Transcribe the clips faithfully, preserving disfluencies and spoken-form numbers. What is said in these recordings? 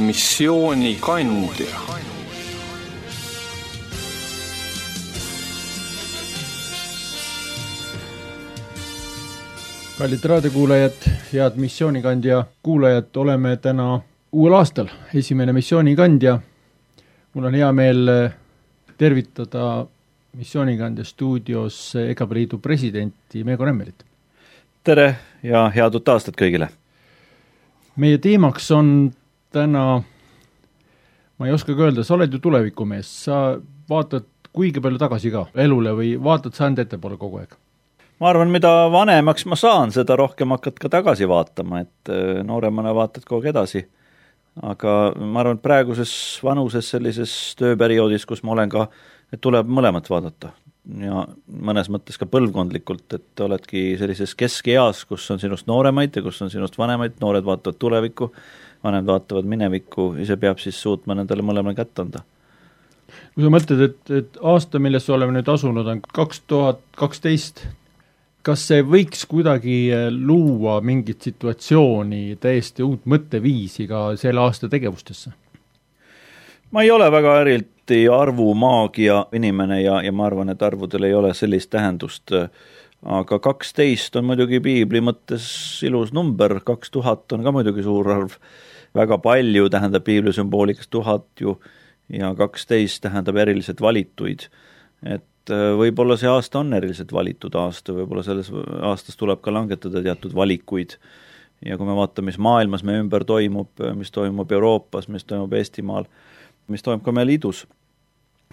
missioonikandja. Kallid raadiokuulajad, head missioonikandja kuulajad, oleme täna uuel aastal esimene missioonikandja. Mul on hea meel tervitada missioonikandja stuudios EGAPE Liidu presidenti Meego Nemmerit. Tere ja head uut aastat kõigile. Meie teemaks on täna, ma ei oska öelda, sa oled ju tulevikumees, sa vaatad kuigi palju tagasi ka elule või vaatad sa enda ettepoole kogu aeg? Ma arvan, mida vanemaks ma saan, seda rohkem hakkad ka tagasi vaatama, et nooremana vaatad kogu edasi. Aga ma arvan, et praeguses vanuses sellises tööperioodis, kus ma olen ka, et tuleb mõlemat vaadata. Ja mõnes mõttes ka põlvkondlikult, et oledki sellises keskeas, kus on sinust nooremaid ja kus on sinust vanemaid, noored vaatavad tulevikku, vanemad vaatavad minevikku, ise peab siis suutma nendele mõlemale kätt anda. Kui sa mõtled, et, et aasta, millest oleme nüüd asunud, on kaks tuhat kaksteist, kas see võiks kuidagi luua mingit situatsiooni, täiesti uut mõtteviisi ka selle aasta tegevustesse? Ma ei ole väga eriti arvumaagia inimene ja, ja ma arvan, et arvudel ei ole sellist tähendust, aga kaksteist on muidugi piibli mõttes ilus number, kaks tuhat on ka muidugi suur arv, väga palju tähendab piibli sümboolikas tuhat ju ja kaksteist tähendab eriliselt valituid, et võib-olla see aasta on eriliselt valitud aasta, võib-olla selles aastas tuleb ka langetada teatud valikuid ja kui me vaatame, mis maailmas me ümber toimub, mis toimub Euroopas, mis toimub Eestimaal, mis toimub ka meie liidus,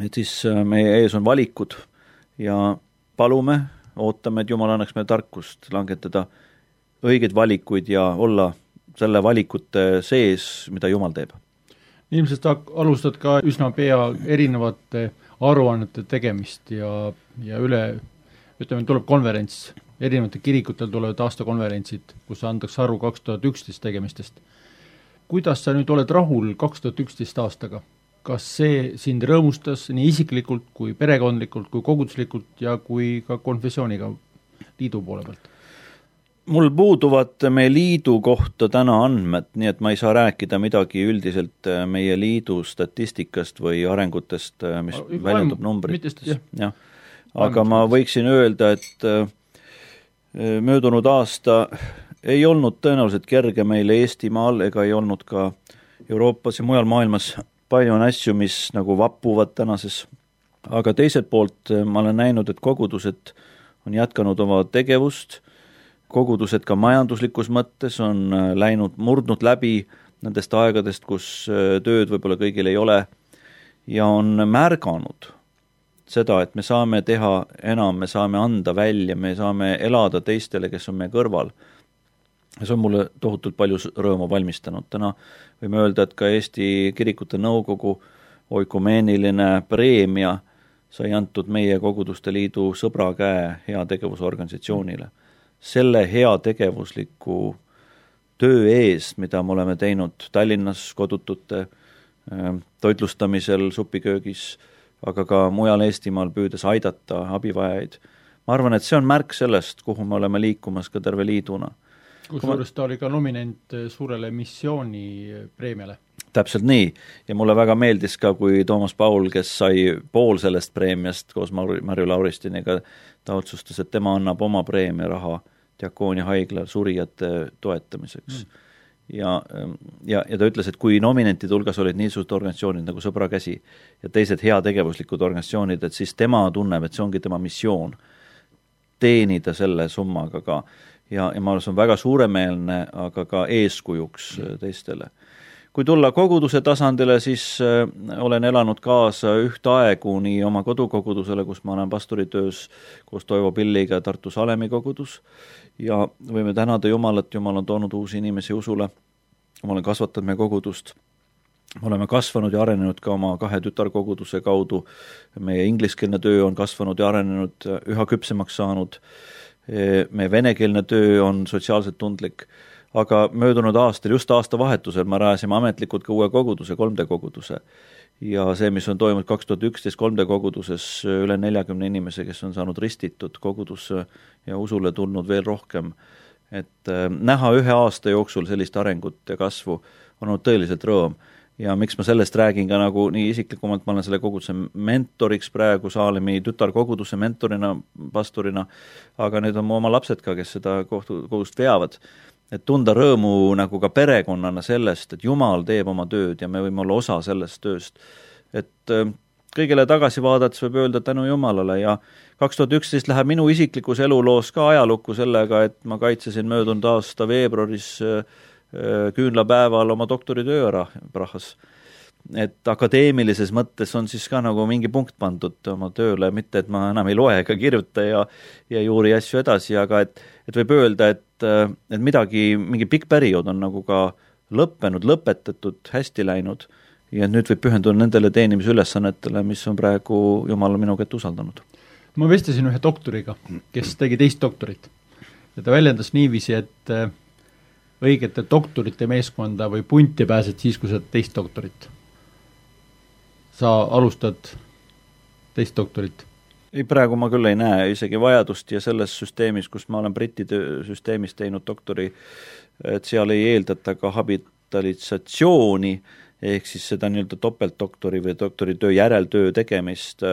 et siis meie ees on valikud ja palume, ootame, et Jumal annaks meile tarkust langetada õigeid valikuid ja olla selle valikute sees, mida Jumal teeb. Ilmselt alustad ka üsna pea erinevate aruannete tegemist ja, ja üle, ütleme, tuleb konverents, erinevate kirikutel tulevad aastakonverentsid, kus antakse aru kaks tuhat üksteist tegemistest. Kuidas sa nüüd oled rahul kaks tuhat üksteist aastaga? Kas see sind rõõmustas nii isiklikult kui perekondlikult kui koguduslikult ja kui ka konfessiooniga liidu poole pealt? Mul puuduvad meie liidu kohta täna andmed, nii et ma ei saa rääkida midagi üldiselt meie liidu statistikast või arengutest, mis Vaim, väljendub numbritest. Ja. Aga ma võiksin öelda, et möödunud aasta ei olnud tõenäoliselt kerge meile Eestimaal ega ei olnud ka Euroopas ja mujal maailmas palju on asju, mis nagu vappuvad tänases. Aga teiselt poolt ma olen näinud, et kogudused on jätkanud oma tegevust, kogudused ka majanduslikus mõttes on läinud, murdnud läbi nendest aegadest, kus tööd võib-olla kõigil ei ole ja on märganud seda, et me saame teha enam, me saame anda välja, me saame elada teistele, kes on meie kõrval. See on mulle tohutult palju rõõmu valmistanud. Täna võime öelda, et ka Eesti Kirikute Nõukogu oikumeeniline preemia sai antud meie Koguduste Liidu sõbra käe hea tegevusorganisatsioonile. Selle hea tegevusliku töö eest, mida me oleme teinud Tallinnas kodutute toitlustamisel, supiköögis, aga ka mujal Eestimaal püüdes aidata abivajaid. Ma arvan, et see on märk sellest, kuhu me oleme liikumas ka terve liiduna. Kusjuures ta oli ka nominent suurele missiooni preemiale. Täpselt nii. Ja mulle väga meeldis ka, kui Toomas Paul, kes sai pool sellest preemiast koos Marju Lauristiniga, ta otsustas, et tema annab oma preemia raha Diakoonia haigla surijate toetamiseks. Mm. Ja, ja, ja ta ütles, et kui nominentide hulgas olid niisugused organisatsioonid nagu Sõbra käsi ja teised heategevuslikud organisatsioonid, et siis tema tunneb, et see ongi tema missioon teenida selle summaga ka. Ja, ja ma olen väga suuremeelne, aga ka eeskujuks teistele. Kui tulla koguduse tasandile, siis olen elanud kaasa ühte aegu nii oma kodukogudusele, kus ma olen pastoritöös koos Toivo Pilliga Tartu Salemi kogudus ja võime tänada Jumalat, Jumal on toonud uusi inimesi usule, ma olen kasvatanud meie kogudust, me oleme kasvanud ja arenenud ka oma kahe tütarkoguduse kaudu, meie ingliskeelne töö on kasvanud ja arenenud, üha küpsemaks saanud, meie venekeelne töö on sotsiaalselt tundlik, aga möödunud aastal, just aasta vahetusel, me rajasime ametlikult ka uue koguduse, kolm D koguduse. Ja see, mis on toimunud kaks tuhat üksteist kolm D koguduses, üle neljakümne inimese, kes on saanud ristitud kogudusse ja usule tulnud veel rohkem. Et näha ühe aasta jooksul sellist arengut ja kasvu on olnud tõeliselt rõõm. ja miks ma sellest räägin ka nagu nii isiklikumalt, ma olen selle koguduse mentoriks praegu Saalemi tütarkoguduse mentorina, pastorina, aga nüüd on mu oma lapsed ka, kes seda kohtu, kogudust veavad, et tunda rõõmu nagu ka perekonnana sellest, et Jumal teeb oma tööd ja me võime olla osa sellest tööst. Et kõigele tagasi vaadates võib öelda tänu Jumalale ja kaks tuhat üksteist läheb minu isiklikus eluloos ka ajalukku sellega, et ma kaitsesin möödunud aasta veebruaris küünlapäeval oma doktoritöö ära Prahas. Et akadeemilises mõttes on siis ka nagu mingi punkt pandud oma tööle, mitte et ma enam ei loe ega kirjuta ja, ja juuri asju edasi, aga et, et võib öelda, et, et midagi, mingi pikk periood on nagu ka lõppenud, lõpetatud, hästi läinud ja nüüd võib pühenduda nendele teenimisülesannetele, mis on praegu Jumal minu kätte usaldanud. Ma vestlesin ühe doktoriga, kes tegi teist doktorit ja ta väljendas niiviisi, et õigete doktorite meeskonda või punti pääsed siis, kui sa teist doktorit. Sa alustad teist doktorit? Ei, praegu ma küll ei näe isegi vajadust ja selles süsteemis, kus ma olen Briti süsteemis teinud doktori, et seal ei eeldata ka habitalisatsiooni, ehk siis seda nii-öelda topeltdoktori või doktoritöö järeltöö tegemist.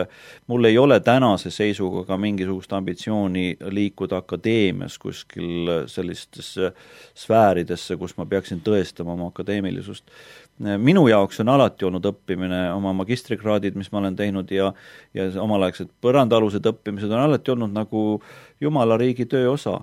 Mul ei ole tänase seisuga ka mingisugust ambitsiooni liikuda akadeemias kuskil sellistesse sfääridesse, kus ma peaksin tõestama oma akadeemilisust. Minu jaoks on alati olnud õppimine, oma magistrikraadid, mis ma olen teinud ja, ja omalaegsed põrandaalused õppimised on alati olnud nagu Jumala riigi töö osa.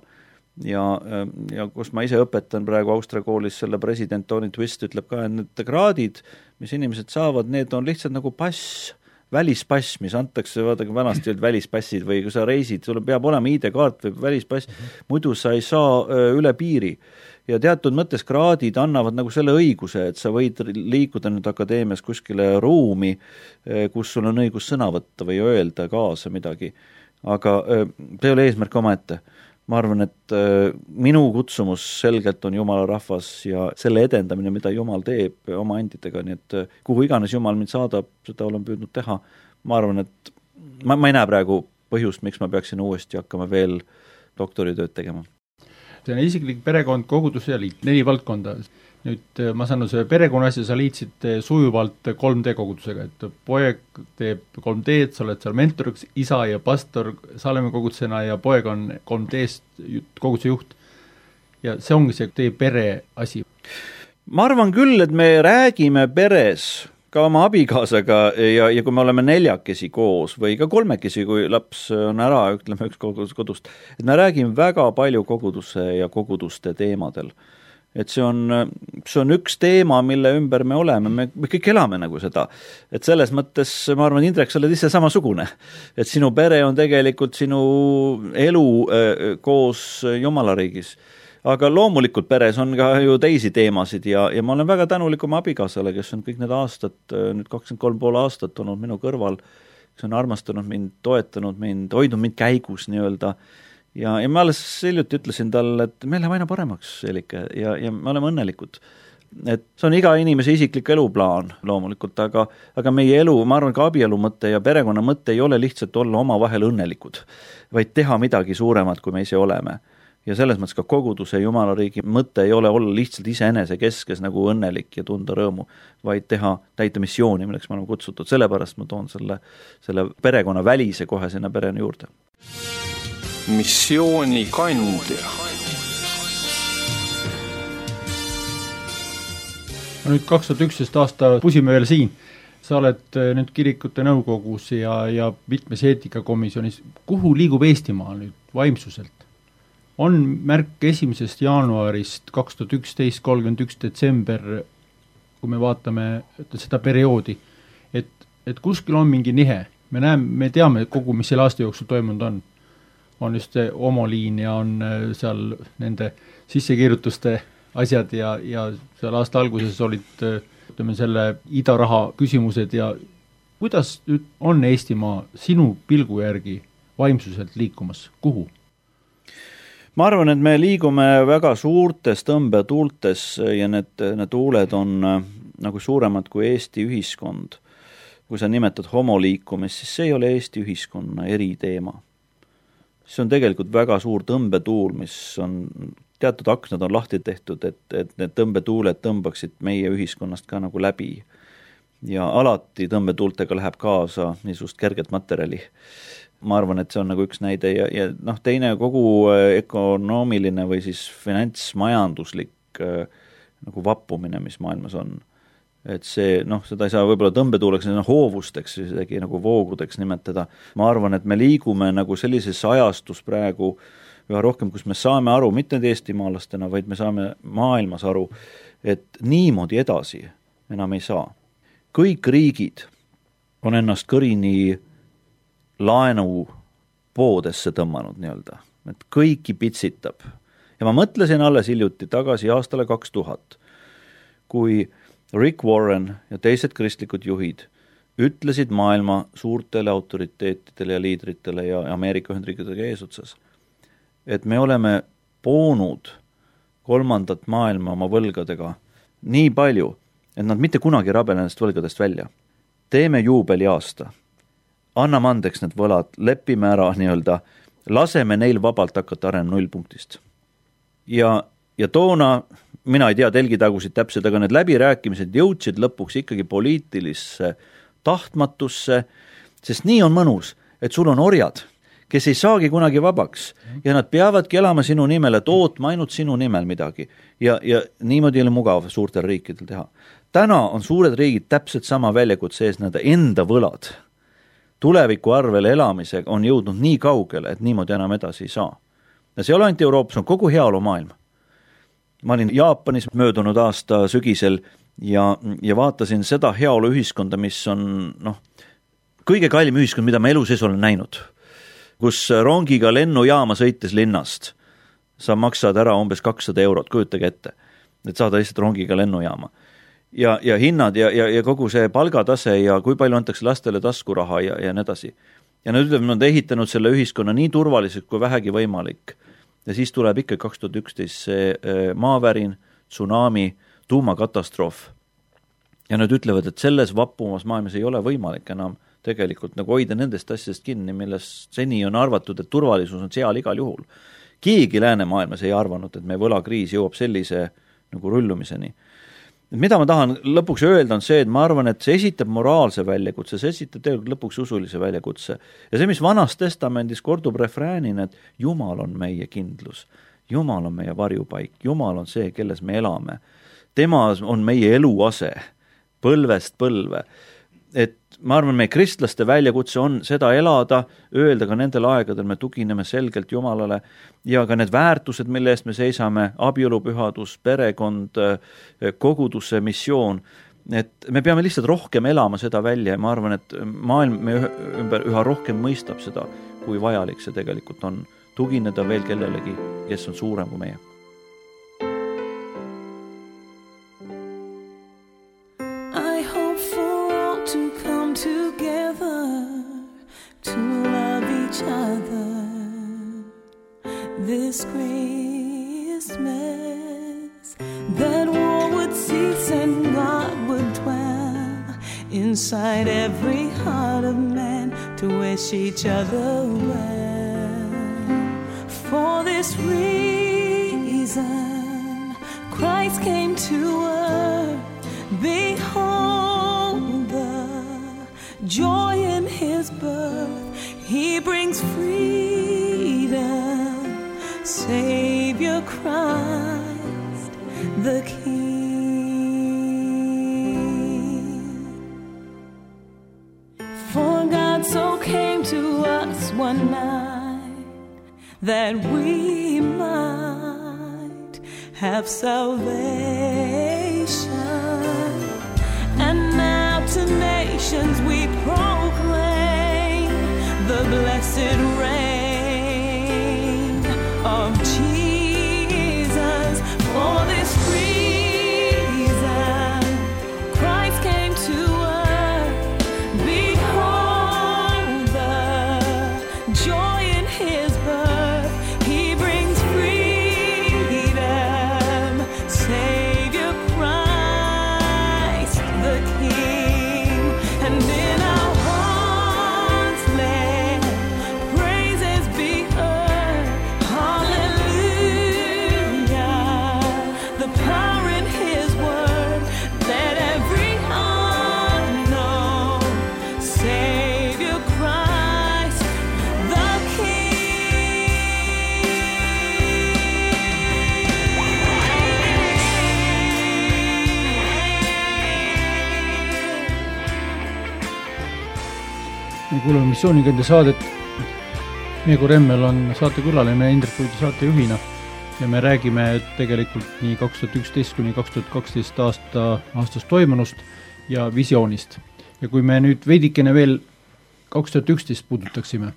Ja, ja kus ma ise õpetan praegu Austria koolis, selle president Tony Twist ütleb ka, et need kraadid, mis inimesed saavad, need on lihtsalt nagu pass, välispass, mis antakse, vaadake vanasti olid välispassid või kui sa reisid, sul peab olema I D-kaart või välispass, muidu sa ei saa üle piiri. Ja teatud mõttes kraadid annavad nagu selle õiguse, et sa võid liikuda nüüd akadeemias kuskile ruumi, kus sul on õigus sõna võtta või öelda kaasa midagi. Aga see ei ole eesmärk oma ette. Ma arvan, et minu kutsumus selgelt on Jumala rahvas ja selle edendamine, mida Jumal teeb oma andidega, nii et kuhu iganes Jumal mind saadab, seda olen püüdnud teha. Ma arvan, et ma, ma ei näe praegu põhjust, miks ma peaksin uuesti hakkama veel doktoritööd tegema. See on isiklik perekond, kogudus ja liit, neli valdkonda. Nüüd ma saan see perekonna asja, sa liitsid sujuvalt kolm D kogudusega, et poeg teeb kolm D-d, sa oled seal mentoriks, isa ja pastor Saalemi kogudusena ja poeg on kolm D-st koguduse juht. Ja see ongi see teie pere asi. Ma arvan küll, et me räägime peres ka oma abikaasaga ja, ja kui me oleme neljakesi koos või ka kolmekesi, kui laps on ära, ütleme üks kodust, et me räägime väga palju koguduse ja koguduste teemadel. Et see on, see on üks teema, mille ümber me oleme, me, me kõik elame nagu seda. Et selles mõttes, ma arvan, Indrek, sa oled ise samasugune. Et sinu pere on tegelikult sinu elu äh, koos Jumala riigis. Aga loomulikult peres on ka ju teisi teemasid ja, ja ma olen väga tänulik oma abikaasale, kes on kõik need aastad, nüüd kakskümmend kolm pool aastat olnud minu kõrval, kes on armastanud mind, toetanud mind, hoidnud mind käigus nii-öelda. Ja, ja ma alles hiljuti ütlesin talle, et meil läheb aina paremaks, Elike, ja, ja me oleme õnnelikud. Et see on iga inimese isiklik eluplaan loomulikult, aga, aga meie elu, ma arvan, ka abielu mõte ja perekonna mõte ei ole lihtsalt olla oma vahel õnnelikud, vaid teha midagi suuremat, kui me ise oleme. Ja selles mõttes ka koguduse Jumala riigi mõte ei ole olla lihtsalt iseenese keskes nagu õnnelik ja tunda rõõmu, vaid teha täita missiooni, milleks me oleme kutsutud. Sellepärast ma toon selle, selle perekonna välise kohe sinna pereni juurde. Missiooni kandja. Nüüd kaks tuhat üksteist aasta pusime veel siin. Sa oled nüüd kirikute nõukogus ja, ja mitmes eetikakomisjonis. Kuhu liigub Eestimaa nüüd vaimsuselt? On märk esimesest jaanuarist kaks tuhat üksteist kolmkümmend üks detsember, kui me vaatame seda perioodi, et, et kuskil on mingi nihe. Me näeme, me teame kogu, mis selle aasta jooksul toimunud on. On just see homoliin ja on seal nende sissekirjutuste asjad ja, ja seal aasta alguses olid ütleme, selle idaraha küsimused ja kuidas on Eestimaa sinu pilgu järgi vaimsuselt liikumas? Kuhu? Ma arvan, et me liigume väga suurtes tõmbetuultes ja need, need tuuled on nagu suuremad kui Eesti ühiskond. Kui sa nimetad homoliikumist, siis see ei ole Eesti ühiskonna eriteema. See on tegelikult väga suur tõmbetuul, mis on teatud aknad on lahti tehtud, et, et need tõmbetuuled tõmbaksid meie ühiskonnast ka nagu läbi. Ja alati tõmbetuultega läheb kaasa niisugust kerget materjali. Ma arvan, et see on nagu üks näide ja, ja noh, teine kogu ökonoomiline või siis finantsmajanduslik nagu vappumine, mis maailmas on. Et see, noh, seda ei saa võib-olla tõmbetuuleks, no, hoovusteks, isegi nagu voogudeks nimetada. Ma arvan, et me liigume nagu sellises ajastus praegu üha rohkem, kus me saame aru, mitte eestimaalastena, vaid me saame maailmas aru, et niimoodi edasi enam ei saa. Kõik riigid on ennast kõrini laenu poodesse tõmmanud nii-öelda, et kõiki pitsitab. Ja ma mõtlesin alles hiljuti tagasi aastale kaks tuhat, kui Rick Warren ja teised kristlikud juhid ütlesid maailma suurtele autoriteetidele ja liidritele ja Ameerika Ühendriikidega eesotsas, et me oleme poonud kolmandat maailma oma võlgadega nii palju, et nad mitte kunagi rabele nendest võlgadest välja. Teeme juubeli aasta, anname andeks need võlad, lepime ära nii-öelda, laseme neil vabalt hakata arenema nullpunktist. Ja, ja toona, mina ei tea telgitagusid täpselt, aga need läbirääkimised jõudsid lõpuks ikkagi poliitilisse tahtmatusse, sest nii on mõnus, et sul on orjad, kes ei saagi kunagi vabaks ja nad peavadki elama sinu nimel, et ootma ainult sinu nimel midagi. Ja, ja niimoodi oli mugav suurtel riikidel teha. Täna on suured riigid täpselt sama väljakutse ees, nende enda võlad. Tuleviku arvel elamisega on jõudnud nii kaugele, et niimoodi enam edasi ei saa. Ja see ei ole ainult Euroopas, on kogu heaolu maailm. Ma olin Jaapanis möödunud aasta sügisel ja, ja vaatasin seda heaolu ühiskonda, mis on noh, kõige kallim ühiskond, mida ma elu sees olen näinud. Kus rongiga lennujaama sõites linnast sa maksad ära umbes kakssada eurot, kujutage ette, et saada lihtsalt rongiga lennujaama. Ja, ja hinnad ja, ja, ja kogu see palgatase ja kui palju antakse lastele taskuraha ja, ja nii edasi. Ja nad ütlevad, nad on ehitanud selle ühiskonna nii turvaliselt kui vähegi võimalik. Ja siis tuleb ikka kaks tuhat üksteist see maavärin, tsunami, tuumakatastroof. Ja nad ütlevad, et selles vappumas maailmas ei ole võimalik enam tegelikult nagu hoida nendest asjadest kinni, milles seni on arvatud, et turvalisus on seal igal juhul. Keegi läänemaailmas ei arvanud, et meie võlakriis jõuab sellise nagu rullumiseni. Mida ma tahan lõpuks öelda on see, et ma arvan, et see esitab moraalse väljakutse, see esitab tegelikult lõpuks usulise väljakutse. Ja see, mis vanas testamendis kordub refräänina, et Jumal on meie kindlus, Jumal on meie varjupaik, Jumal on see, kelles me elame. Tema on meie eluase, põlvest põlve. Et ma arvan, meie kristlaste väljakutse on seda elada, öelda ka nendel aegadel me tugineme selgelt Jumalale ja ka need väärtused, mille eest me seisame, abielupühadus, perekond, koguduse missioon, et me peame lihtsalt rohkem elama seda välja ja ma arvan, et maailm me ümber üha rohkem mõistab seda, kui vajalik see tegelikult on tugineda veel kellelegi, kes on suurem kui meie. This Christmas, that war would cease and God would dwell inside every heart of man to wish each other well. For this reason, Christ came to earth. Behold the joy in his birth. He brings freedom. Savior Christ, the King. For God so came to us one night that we might have salvation. And now to nations we proclaim the blessed reign of Jesus. For this reason, Christ came to earth. Behold the joy in his birth. He brings freedom. Savior Christ, the King. And in our hearts let praise Missioonikendi saadet. Meego Remmel on saatekülaline Indrek Uudi saatejuhina ja me räägime tegelikult nii kaks tuhat üksteist kuni kaks tuhat kaksteist aasta aastast toimunust ja visioonist. Ja kui me nüüd veidikene veel kaks tuhat üksteist puudutaksime,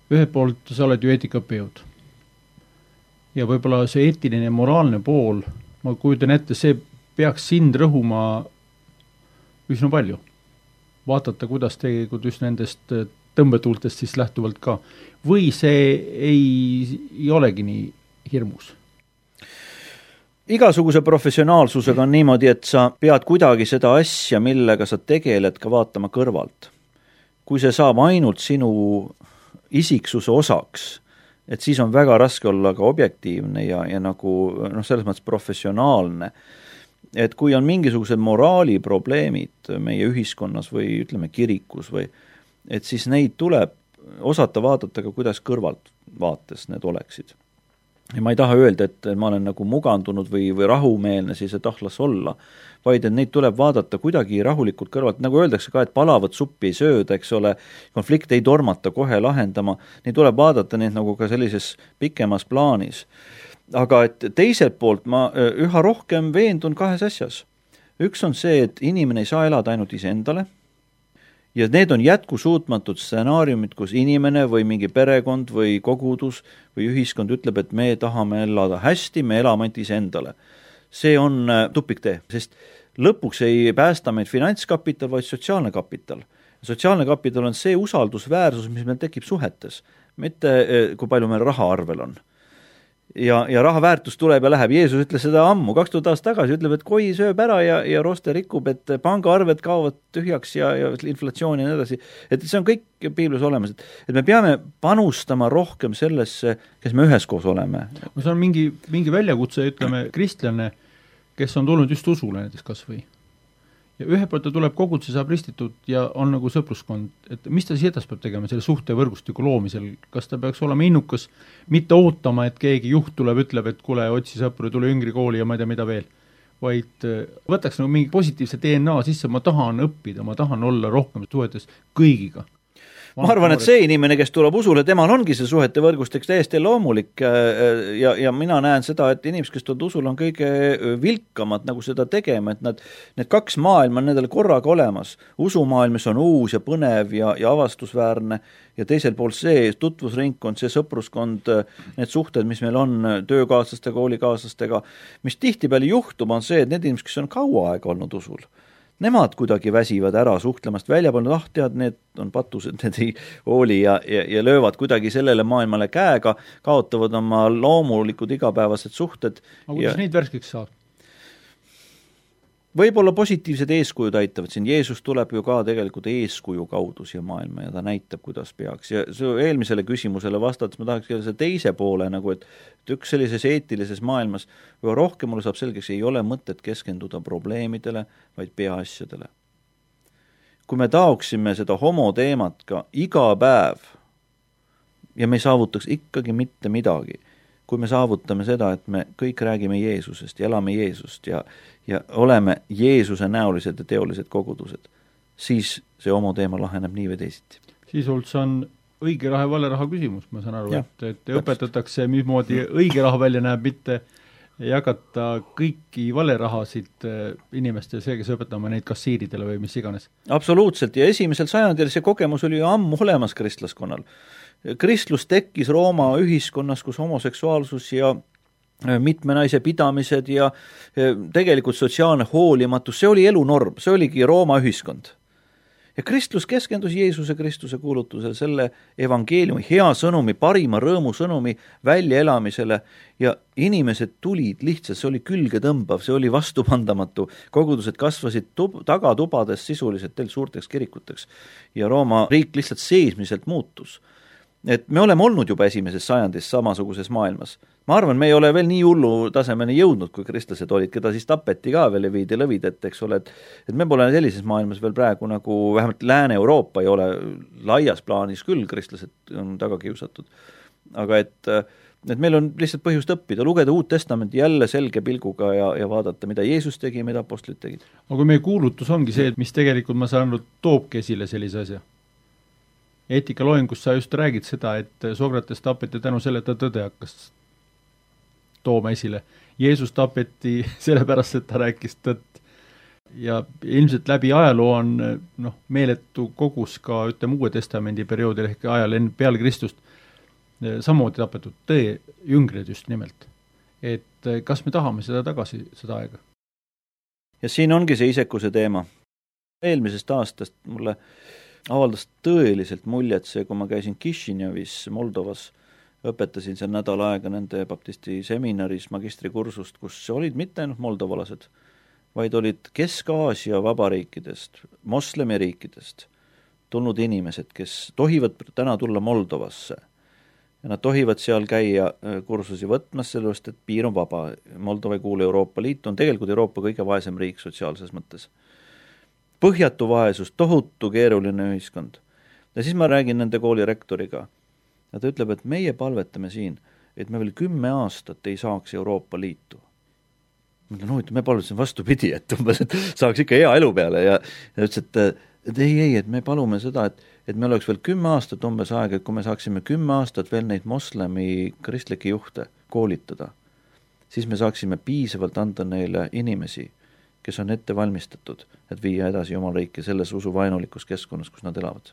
ühelt poolt sa oled ju eetikaõppejõud ja võib-olla see eetiline ja moraalne pool, ma kujutan ette, see peaks sind rõhuma üsna palju. Vaadata, kuidas tegelikult just nendest tõmbetuultest siis lähtuvalt ka. Või see ei, ei olegi nii hirmus? Igasuguse professionaalsusega on niimoodi, et sa pead kuidagi seda asja, millega sa tegeled, ka vaatama kõrvalt. Kui see saab ainult sinu isiksuse osaks, et siis on väga raske olla ka objektiivne ja, ja nagu noh, selles mõttes professionaalne. Et kui on mingisugused moraaliprobleemid meie ühiskonnas või ütleme kirikus või et siis neid tuleb osata vaadata ka, kuidas kõrvalt vaates need oleksid. Ja ma ei taha öelda, et ma olen nagu mugandunud või, või rahumeelne siis, et ahlas olla, vaid et neid tuleb vaadata kuidagi rahulikult kõrvalt, nagu öeldakse ka, et palavat suppi ei sööda, eks ole, konflikt ei tormata kohe lahendama, neid tuleb vaadata neid nagu ka sellises pikemas plaanis. Aga et teiselt poolt ma üha rohkem veendun kahes asjas. Üks on see, et inimene ei saa elada ainult iseendale ja need on jätkusuutmatud stsenaariumid, kus inimene või mingi perekond või kogudus või ühiskond ütleb, et me tahame elada hästi, me elame ainult iseendale. See on tupiktee, sest lõpuks ei päästa meid finantskapital, vaid sotsiaalne kapital. Sotsiaalne kapital on see usaldusväärsus, mis meil tekib suhetes, mitte kui palju meil raha arvel on. Ja, ja raha väärtus tuleb ja läheb. Jeesus ütles seda ammu, kaks tuhat aastat tagasi, ütleb, et koi sööb ära ja, ja roste rikub, et pangaarved kaovad tühjaks ja, ja inflatsioon ja nii edasi. Et see on kõik piiblis olemas, et, et me peame panustama rohkem sellesse, kes me üheskoos oleme. See on mingi, mingi väljakutse, ütleme, kristlane, kes on tulnud just usule näiteks kas või. Ja ühe poolt ta tuleb koguduse, saab ristitud ja on nagu sõpruskond, et mis ta siis edas peab tegema selle suhtevõrgustiku loomisel, kas ta peaks olema innukas, mitte ootama, et keegi juht tuleb, ütleb, et kule, otsi sõpru, tule Üngri kooli ja ma ei tea, mida veel, vaid võtaks nagu mingi positiivse D N A sisse, ma tahan õppida, ma tahan olla rohkem suhetes kõigiga. Ma arvan, et see inimene, kes tuleb usule, temal ongi see suhete võrgustik täiesti loomulik ja, ja mina näen seda, et inimesed, kes tuleb usule, on kõige vilkamad nagu seda tegema, et nad, need kaks maailma on nendele korraga olemas. Usumaailm, mis on uus ja põnev ja, ja avastusväärne ja teisel pool see tutvusringkond, see sõpruskond, need suhted, mis meil on töökaaslastega, koolikaaslastega, mis tihtipeale juhtub, on see, et need inimesed, kes on kaua aega olnud usul, nemad kuidagi väsivad ära suhtlemast välja polnud, ah tead, need on patused, need ei hooli ja, ja, ja löövad kuidagi sellele maailmale käega, kaotavad oma loomulikud igapäevased suhted. Aga kuidas ja... neid värskeks saab? Võib-olla positiivsed eeskujud aitavad siin. Jeesus tuleb ju ka tegelikult eeskuju kaudu siia maailma ja ta näitab, kuidas peaks. Ja eelmisele küsimusele vastates ma tahaks see teise poole, nagu et üks sellises eetilises maailmas või rohkem mulle saab selgeks, ei ole mõtet keskenduda probleemidele, vaid peaasjadele. Kui me taoksime seda homo teemat ka iga päev ja me ei saavutaks ikkagi mitte midagi, kui me saavutame seda, et me kõik räägime Jeesusest ja elame Jeesust ja, ja oleme Jeesuse näolised ja teolised kogudused, siis see homo teema laheneb nii või teisiti. Siis see on õige raha ja vale raha küsimus, ma saan aru, ja, et, et õpetatakse, mismoodi õige raha välja näeb, mitte jagata kõiki vale rahasid inimeste, see, kes õpetama neid kassiiridele või mis iganes. Absoluutselt, ja esimesel sajandil see kogemus oli ju ammu olemas kristlaskonnal. Kristlus tekkis Rooma ühiskonnas, kus homoseksuaalsus ja mitme naise pidamised ja tegelikult sotsiaalne hoolimatus, see oli elunorm, see oligi Rooma ühiskond. Ja kristlus keskendus Jeesuse Kristuse kuulutusel selle evangeeliumi, hea sõnumi, parima rõõmu sõnumi väljaelamisele ja inimesed tulid lihtsalt, see oli külge tõmbav, see oli vastupandamatu, kogudused kasvasid tub, tagatubades sisuliselt teil suurteks kirikuteks ja Rooma riik lihtsalt seismiselt muutus. Et me oleme olnud juba esimeses sajandis samasuguses maailmas. Ma arvan, me ei ole veel nii hullu tasemeni jõudnud, kui kristlased olid, keda siis tapeti ka veel ja viidi lõvidet, eks ole, et, et me pole sellises maailmas veel praegu nagu vähemalt Lääne-Euroopa ei ole laias plaanis küll, kristlased on taga kiusatud. Aga et, et meil on lihtsalt põhjust õppida, lugeda Uut Testamenti jälle selge pilguga ja, ja vaadata, mida Jeesus tegi, mida apostlid tegid. Aga meie kuulutus ongi see, et mis tegelikult ma saan aru, toobki esile sellise asja. eetikaloengus sa just räägid seda, et Sokrates tapeti tänu selle, et ta tõde hakkas tooma esile. Jeesus tapeti sellepärast, et ta rääkis tõtt. Ja ilmselt läbi ajaloo on noh, meeletu kogus ka ütleme Uue Testamendi perioodil ehk ajal enne peale Kristust samamoodi tapetud tõe jüngrid just nimelt. Et kas me tahame seda tagasi, seda aega? Ja siin ongi see isekuse teema. Eelmisest aastast mulle avaldas tõeliselt muljet see, kui ma käisin Kišinjovis, Moldovas, õpetasin seal nädal aega nende baptisti seminaris magistrikursust, kus olid mitte ainult moldovalased, vaid olid Kesk-Aasia vabariikidest, moslemiriikidest tulnud inimesed, kes tohivad täna tulla Moldovasse. Ja nad tohivad seal käia kursusi võtmas, sellest, et piir on vaba. Moldova ei kuule Euroopa Liitu, on tegelikult Euroopa kõige vaesem riik sotsiaalses mõttes. Põhjatu vaesus, tohutu keeruline ühiskond. Ja siis ma räägin nende kooli rektoriga. Ja ta ütleb, et meie palvetame siin, et me veel kümme aastat ei saaks Euroopa Liitu. Ma ütlen, no, et me palusin vastupidi, et umbes, et saaks ikka hea elu peale. Ja ta ütles, et, et ei, ei, et me palume seda, et, et me oleks veel kümme aastat umbes aega, et kui me saaksime kümme aastat veel neid moslemi kristlikke juhte koolitada, siis me saaksime piisavalt anda neile inimesi, kes on ette valmistatud, et viia edasi Jumal riiki selles usuvaenulikus keskkonnas, kus nad elavad.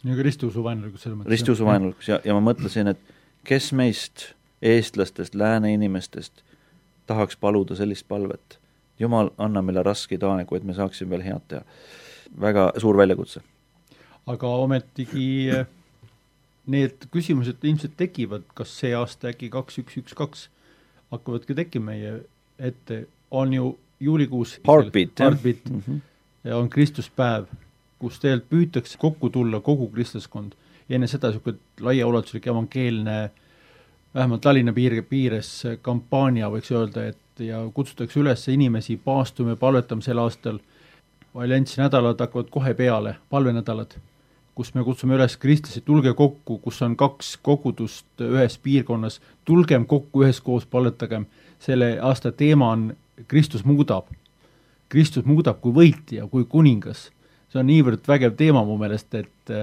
Ja ka ristiusuvaenulikus selles mõttes. Ristiusuvaenulikus ja, ja ma mõtlesin, et kes meist, eestlastest, lääne inimestest tahaks paluda sellist palvet. Jumal, anna meile raskeid aegu, et me saaksime veel head teha. Väga suur väljakutse. Aga ometigi need küsimused ilmselt tekivad, kas see aasta äkki kaks üks üks kaks hakkavadki tekkima meie ette, on ju juulikuus Heartbeat, Heartbeat mm -hmm. ja on Kristuspäev, kus tegelikult püütakse kokku tulla kogu kristlaskond. Ja enne seda niisugune laiaulatuslik evangeelne, vähemalt Tallinna piir, piires kampaania võiks öelda, et ja kutsutakse üles inimesi paastume, palvetame sel aastal. Alliansi nädalad hakkavad kohe peale, palvenädalad, kus me kutsume üles kristlasi, tulge kokku, kus on kaks kogudust ühes piirkonnas, tulgem kokku üheskoos, palvetagem. Selle aasta teema on Kristus muudab. Kristus muudab kui võitja, kui kuningas. See on niivõrd vägev teema mu meelest, et,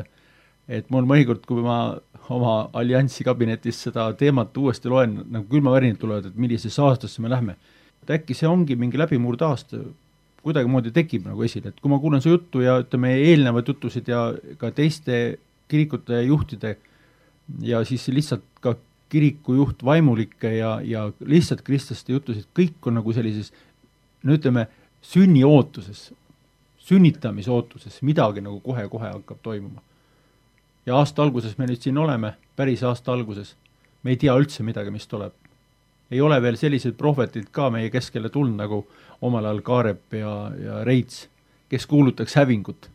et mul mõnikord, kui ma oma alliansi kabinetis seda teemat uuesti loen, nagu külmavärinad tulevad, et millises aastasse me lähme. Et äkki see ongi mingi läbimurde aasta, kuidagi moodi tekib nagu esile, et kui ma kuulen su juttu ja ütleme eelnevad jutusid ja ka teiste kirikute juhtide ja siis lihtsalt ka kiriku juht vaimulike ja, ja lihtsalt kristlaste jutusid, kõik on nagu sellises, no ütleme, sünni ootuses, sünnitamise ootuses, midagi nagu kohe-kohe hakkab toimuma. Ja aasta alguses me nüüd siin oleme, päris aasta alguses, me ei tea üldse midagi, mis tuleb. Ei ole veel sellised prohvetid ka meie keskele tulnud, nagu omal ajal Kaarep ja, ja Reits, kes kuulutaks hävingut.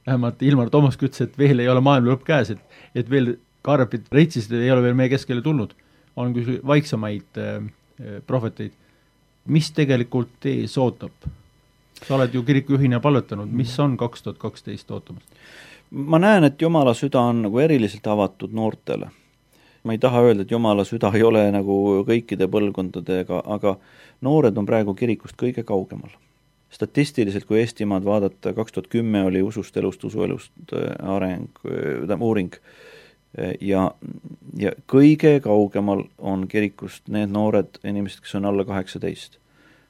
Vähemalt Ilmar Tomusk ütles, et veel ei ole maailma lõpp käes, et, et veel Kaarepid, Reitsist ei ole veel meie keskele tulnud. On küll vaiksamaid äh, prohveteid. Mis tegelikult ees ootab? Sa oled ju kirikujuhina palvetanud, mis on kaks tuhat kaksteist ootamast? Ma näen, et Jumala süda on nagu eriliselt avatud noortele. Ma ei taha öelda, et Jumala süda ei ole nagu kõikide põlvkondadega, aga noored on praegu kirikust kõige kaugemal. Statistiliselt, kui Eestimaad vaadata, kaks tuhat kümme oli usust elust, usuelust areng, uuring ja, ja kõige kaugemal on kirikust need noored inimesed, kes on alla kaheksateist.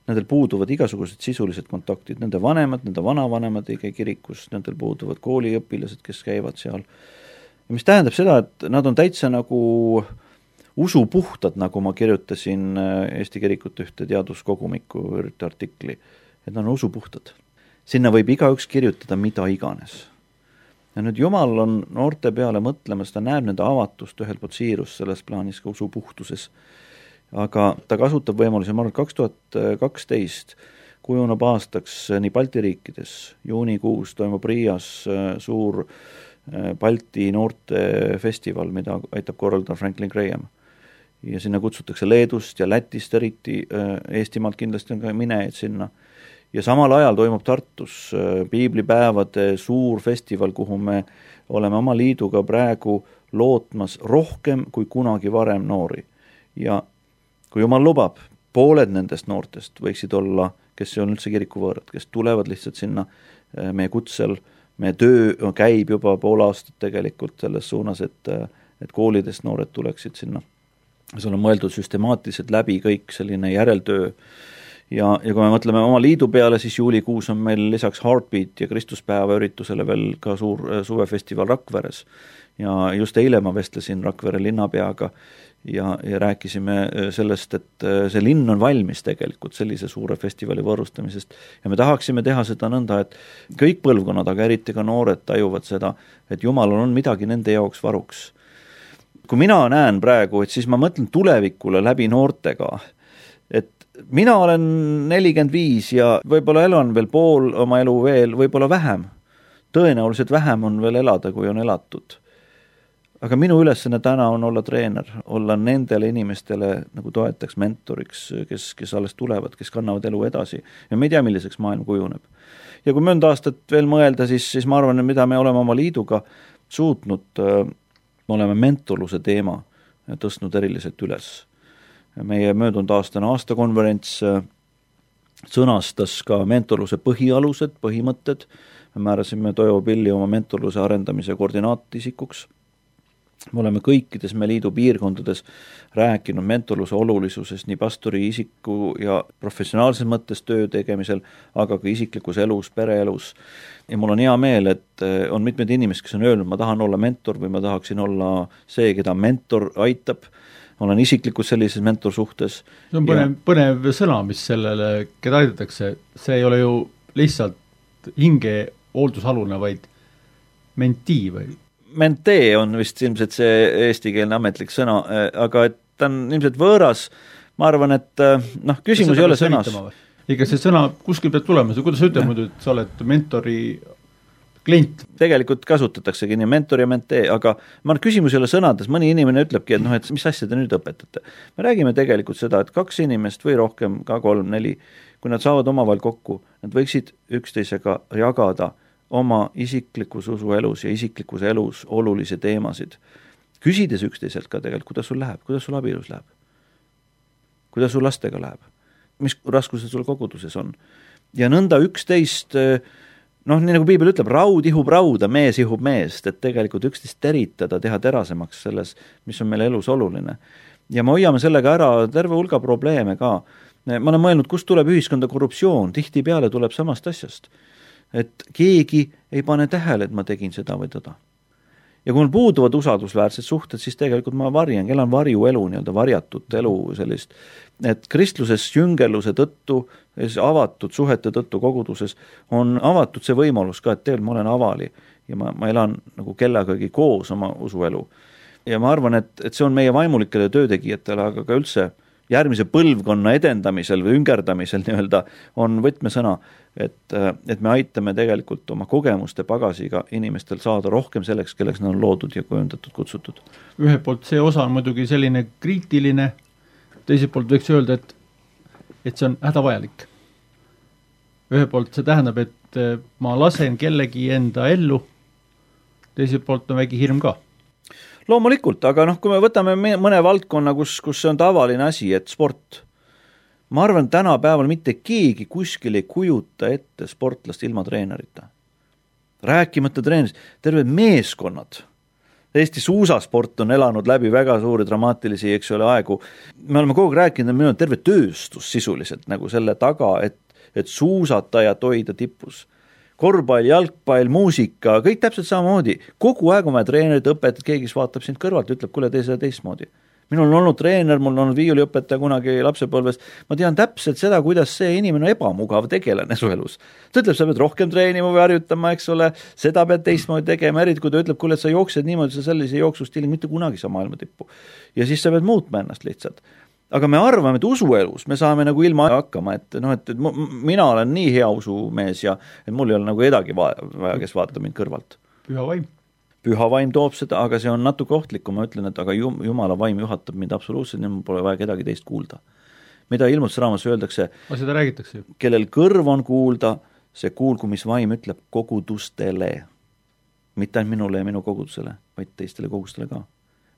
Nendel puuduvad igasugused sisulised kontaktid, nende vanemad, nende vanavanemad ei käi kirikus, nendel puuduvad kooliõpilased, kes käivad seal. Ja mis tähendab seda, et nad on täitsa nagu usupuhtad, nagu ma kirjutasin Eesti kirikute ühte teaduskogumiku artikli, et nad on usupuhtad. Sinna võib igaüks kirjutada mida iganes. Ja nüüd Jumal on noorte peale mõtlemas, ta näeb nende avatust ühel poolt siirus selles plaanis ka usupuhtuses. Aga ta kasutab võimalusi, ma arvan, kaks tuhat kaksteist kujuneb aastaks nii Balti riikides, juunikuus toimub Riias suur Balti noorte festival, mida aitab korraldada Franklin Graham. Ja sinna kutsutakse Leedust ja Lätist eriti, Eestimaalt kindlasti on ka minejaid sinna. Ja samal ajal toimub Tartus piiblipäevade suur festival, kuhu me oleme oma liiduga praegu lootmas rohkem kui kunagi varem noori. Ja kui Jumal lubab, pooled nendest noortest võiksid olla, kes on üldse kirikuvõõrad, kes tulevad lihtsalt sinna meie kutsel meie töö käib juba pool aastat tegelikult selles suunas, et, et koolidest noored tuleksid sinna. See on mõeldud süstemaatiliselt läbi kõik selline järeltöö. Ja, ja kui me mõtleme oma liidu peale, siis juulikuus on meil lisaks Heartbeat ja Kristuspäeva üritusele veel ka suur suvefestival Rakveres. Ja just eile ma vestlesin Rakvere linnapeaga ja, ja rääkisime sellest, et see linn on valmis tegelikult sellise suure festivali võõrustamisest ja me tahaksime teha seda nõnda, et kõik põlvkonnad, aga eriti ka noored tajuvad seda, et Jumalal on midagi nende jaoks varuks. Kui mina näen praegu, et siis ma mõtlen tulevikule läbi noortega, et mina olen nelikümmend viis ja võib-olla elan veel pool oma elu veel, võib-olla vähem. Tõenäoliselt vähem on veel elada, kui on elatud. Aga minu ülesanne täna on olla treener, olla nendele inimestele nagu toetaks, mentoriks, kes, kes alles tulevad, kes kannavad elu edasi. Ja me ei tea, milliseks maailm kujuneb. Ja kui mõnda aastat veel mõelda, siis, siis ma arvan, mida me oleme oma liiduga suutnud, me oleme mentorluse teema tõstnud eriliselt üles. Meie möödunud aastane aastakonverents sõnastas ka mentorluse põhialused, põhimõtted. Me määrasime Toivo Pilli oma mentorluse arendamise koordinaatisikuks. Me oleme kõikides me liidu piirkondades rääkinud mentorluse olulisuses nii pastori isiku ja professionaalses mõttes töö tegemisel, aga ka isiklikus elus, pereelus. Ja mul on hea meel, et on mitmed inimesed, kes on öelnud, ma tahan olla mentor või ma tahaksin olla see, keda mentor aitab. Ma olen isiklikult sellises mentorsuhtes. See on põnev, ja... põnev sõna, mis sellele, keda aidatakse. See ei ole ju lihtsalt hinge hooldusalune, vaid mentii või? Mentee on vist ilmselt see eestikeelne ametlik sõna, aga et ta on ilmselt võõras. Ma arvan, et noh, küsimus ei ole sõnas. Ega see sõna kuskil peab tulema, kuidas sa ütled muidu, et sa oled mentori klient? Tegelikult kasutataksegi nii mentor ja mentee, aga ma küsimus ei ole sõnades, mõni inimene ütlebki, et noh, et mis asja te nüüd õpetate. Me räägime tegelikult seda, et kaks inimest või rohkem, ka kolm, neli, kui nad saavad omavahel kokku, nad võiksid üksteisega jagada oma isiklikus usuelus ja isiklikus elus olulisi teemasid. Küsides üksteiselt ka tegelikult, kuidas sul läheb, kuidas sul abielus läheb, kuidas sul lastega läheb, mis raskused sul koguduses on. Ja nõnda üksteist, noh, nii nagu piibel ütleb, raud ihub rauda, mees ihub meest, et tegelikult üksteist teritada, teha terasemaks selles, mis on meil elus oluline. Ja me hoiame sellega ära terve hulga probleeme ka. Ma olen mõelnud, kust tuleb ühiskonda korruptsioon, tihti peale tuleb samast asjast. Et keegi ei pane tähele, et ma tegin seda või tõda. Ja kui mul puuduvad usaldusväärsed suhted, siis tegelikult ma varjan, elan varju elu, nii-öelda varjatud elu sellist, et kristluses jüngerluse tõttu, avatud suhete tõttu koguduses on avatud see võimalus ka, et tegelikult ma olen avali ja ma, ma elan nagu kellegagi koos oma usuelu. Ja ma arvan, et, et see on meie vaimulikele töötegijatele, aga ka üldse järgmise põlvkonna edendamisel või üngerdamisel nii-öelda on võtmesõna, et, et me aitame tegelikult oma kogemuste pagasiga inimestel saada rohkem selleks, kelleks nad on loodud ja kujundatud, kutsutud. Ühelt poolt see osa on muidugi selline kriitiline, teiselt poolt võiks öelda, et, et see on hädavajalik. Ühelt poolt see tähendab, et ma lasen kellegi enda ellu, teiselt poolt on väike hirm ka. Loomulikult, aga noh, kui me võtame mõne valdkonna, kus, kus see on tavaline asi, et sport, ma arvan, tänapäeval mitte keegi kuskil ei kujuta ette sportlast ilma treenerita. Rääkimata treenerist, terved meeskonnad. Eesti suusasport on elanud läbi väga suuri dramaatilisi, eks ole, aegu. Me oleme kogu rääkinud, et meil on terve tööstus sisuliselt nagu selle taga, et, et suusatajad hoida tipus. Korvpall, jalgpall, muusika, kõik täpselt samamoodi. Kogu aeg on vaja treenerit, õpetajad, keegi vaatab sind kõrvalt, ütleb, kuule, tee seda teistmoodi. Minul on olnud treener, mul on olnud viiuliõpetaja kunagi lapsepõlves. Ma tean täpselt seda, kuidas see inimene on ebamugav tegelane su elus. Ta ütleb, sa pead rohkem treenima või harjutama, eks ole, seda pead teistmoodi tegema, eriti kui ta ütleb, kuule, et sa jooksed niimoodi, sa sellise jooksustiili mitte kunagi sa maailma tippu. Ja siis sa pead muutma ennast lihtsalt. Aga me arvame, et usuelus me saame nagu ilma hakkama, et, no, et, et mina olen nii hea usumees ja et mul ei ole nagu edagi vaja, kes vaatab mind kõrvalt. Püha vaim. Püha vaim toob seda, aga see on natuke ohtlik, kui ma ütlen, et aga Jumala vaim juhatab mind absoluutselt, nii mul pole vaja kedagi teist kuulda. Mida ilmutusraamas öeldakse, aga seda räägitakse. Kellel kõrv on kuulda, see kuulgu, mis vaim ütleb kogudustele. Mitte ainult minule ja minu kogudusele, vaid teistele kogudustele ka.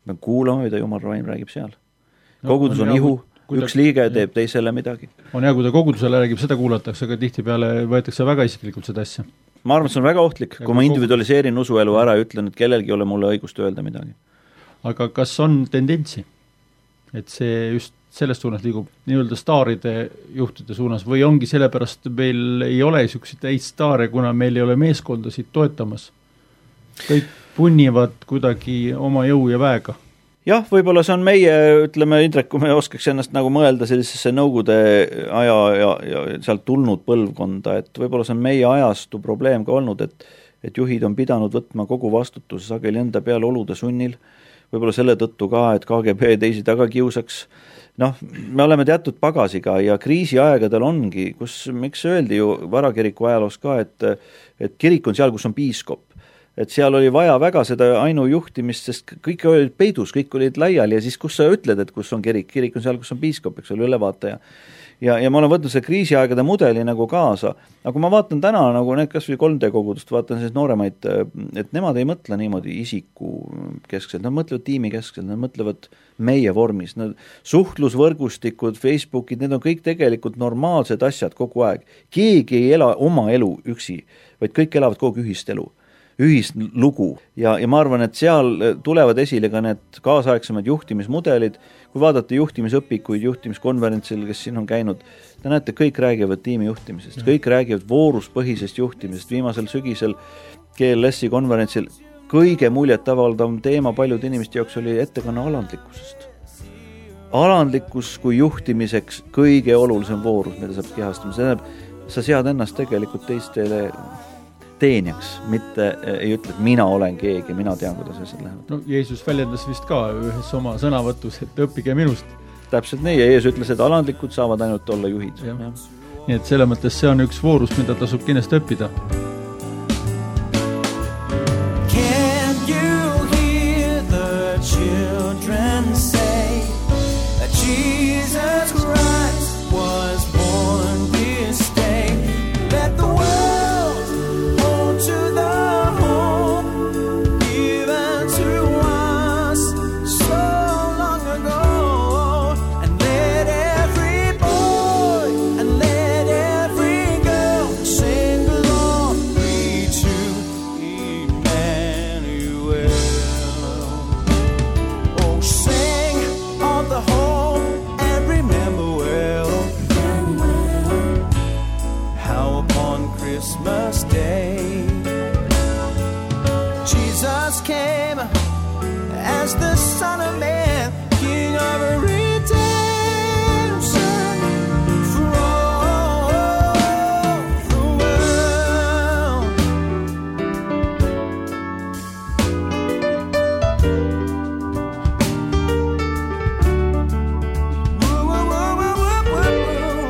Me kuulame, mida Jumal vaim räägib seal. Kogudus on, on ihu, ta, üks liige teeb teisele midagi. On hea, kui ta kogudusele räägib, seda kuulatakse, aga tihtipeale võetakse väga isiklikult seda asja. ma arvan, et see on väga ohtlik, kui ma individualiseerin usuelu ära ja ütlen, et kellelgi ei ole mulle õigust öelda midagi. Aga kas on tendentsi, et see just sellest suunas liigub nii-öelda staaride juhtide suunas või ongi sellepärast meil ei ole niisuguseid täis staare, kuna meil ei ole meeskondasid toetamas? Kõik punnivad kuidagi oma jõu ja väega. Jah, võib-olla see on meie, ütleme, Indrek, kui me oskaks ennast nagu mõelda sellisesse nõukogude aja ja, ja sealt tulnud põlvkonda, et võib-olla see on meie ajastu probleem ka olnud, et, et juhid on pidanud võtma kogu vastutuse sageli enda peale olude sunnil, võib-olla selle tõttu ka, et K G B teisi taga kiusaks. Noh, me oleme teatud pagasiga ja kriisiaegadel ongi, kus, miks öeldi ju varakiriku ajaloos ka, et, et kirik on seal, kus on piiskop. Et seal oli vaja väga seda ainujuhtimist, sest kõik olid peidus, kõik olid laiali ja siis kus sa ütled, et kus on kirik, kirik on seal, kus on piiskop, eks ole, ülevaataja. Ja, ja ma olen võtnud see kriisiaegade mudeli nagu kaasa, aga kui ma vaatan täna nagu need kas või kolm D kogudust, vaatan siis nooremaid, et nemad ei mõtle niimoodi isiku keskselt, nad mõtlevad tiimi keskselt, nad mõtlevad meie vormis, nad suhtlusvõrgustikud, Facebookid, need on kõik tegelikult normaalsed asjad kogu aeg. Keegi ei ela oma elu üksi, vaid kõik elavad kogu ühist elu. Ühist lugu ja, ja ma arvan, et seal tulevad esile ka need kaasaegsemad juhtimismudelid, kui vaadata juhtimisõpikuid, juhtimiskonverentsil, kes siin on käinud, te näete, kõik räägivad tiimi juhtimisest, kõik räägivad vooruspõhisest juhtimisest, viimasel sügisel G L S-i konverentsil kõige muljet avaldav teema paljude inimeste jaoks oli ettekanne alandlikkusest. Alandlikkus kui juhtimiseks kõige olulisem voorus, mida saab kehastama, see tähendab, sa sead ennast tegelikult teistele teenjaks, mitte ei ütle, et mina olen keegi, mina tean, kuidas asjad lähevad. No Jeesus väljendas vist ka ühes oma sõnavõtus, et õppige minust. Täpselt nii, ja Jeesus ütles, et alandlikud saavad ainult olla juhid. Ja. Ja. Nii et selle mõttes see on üks voorus, mida tasub kindlasti õppida. Can you hear the children say that Jesus Christ was born this day? Let the world Christmas Day Jesus came as the Son of Man, King of redemption for all the world. Woo, woo, woo, woo, woo, woo.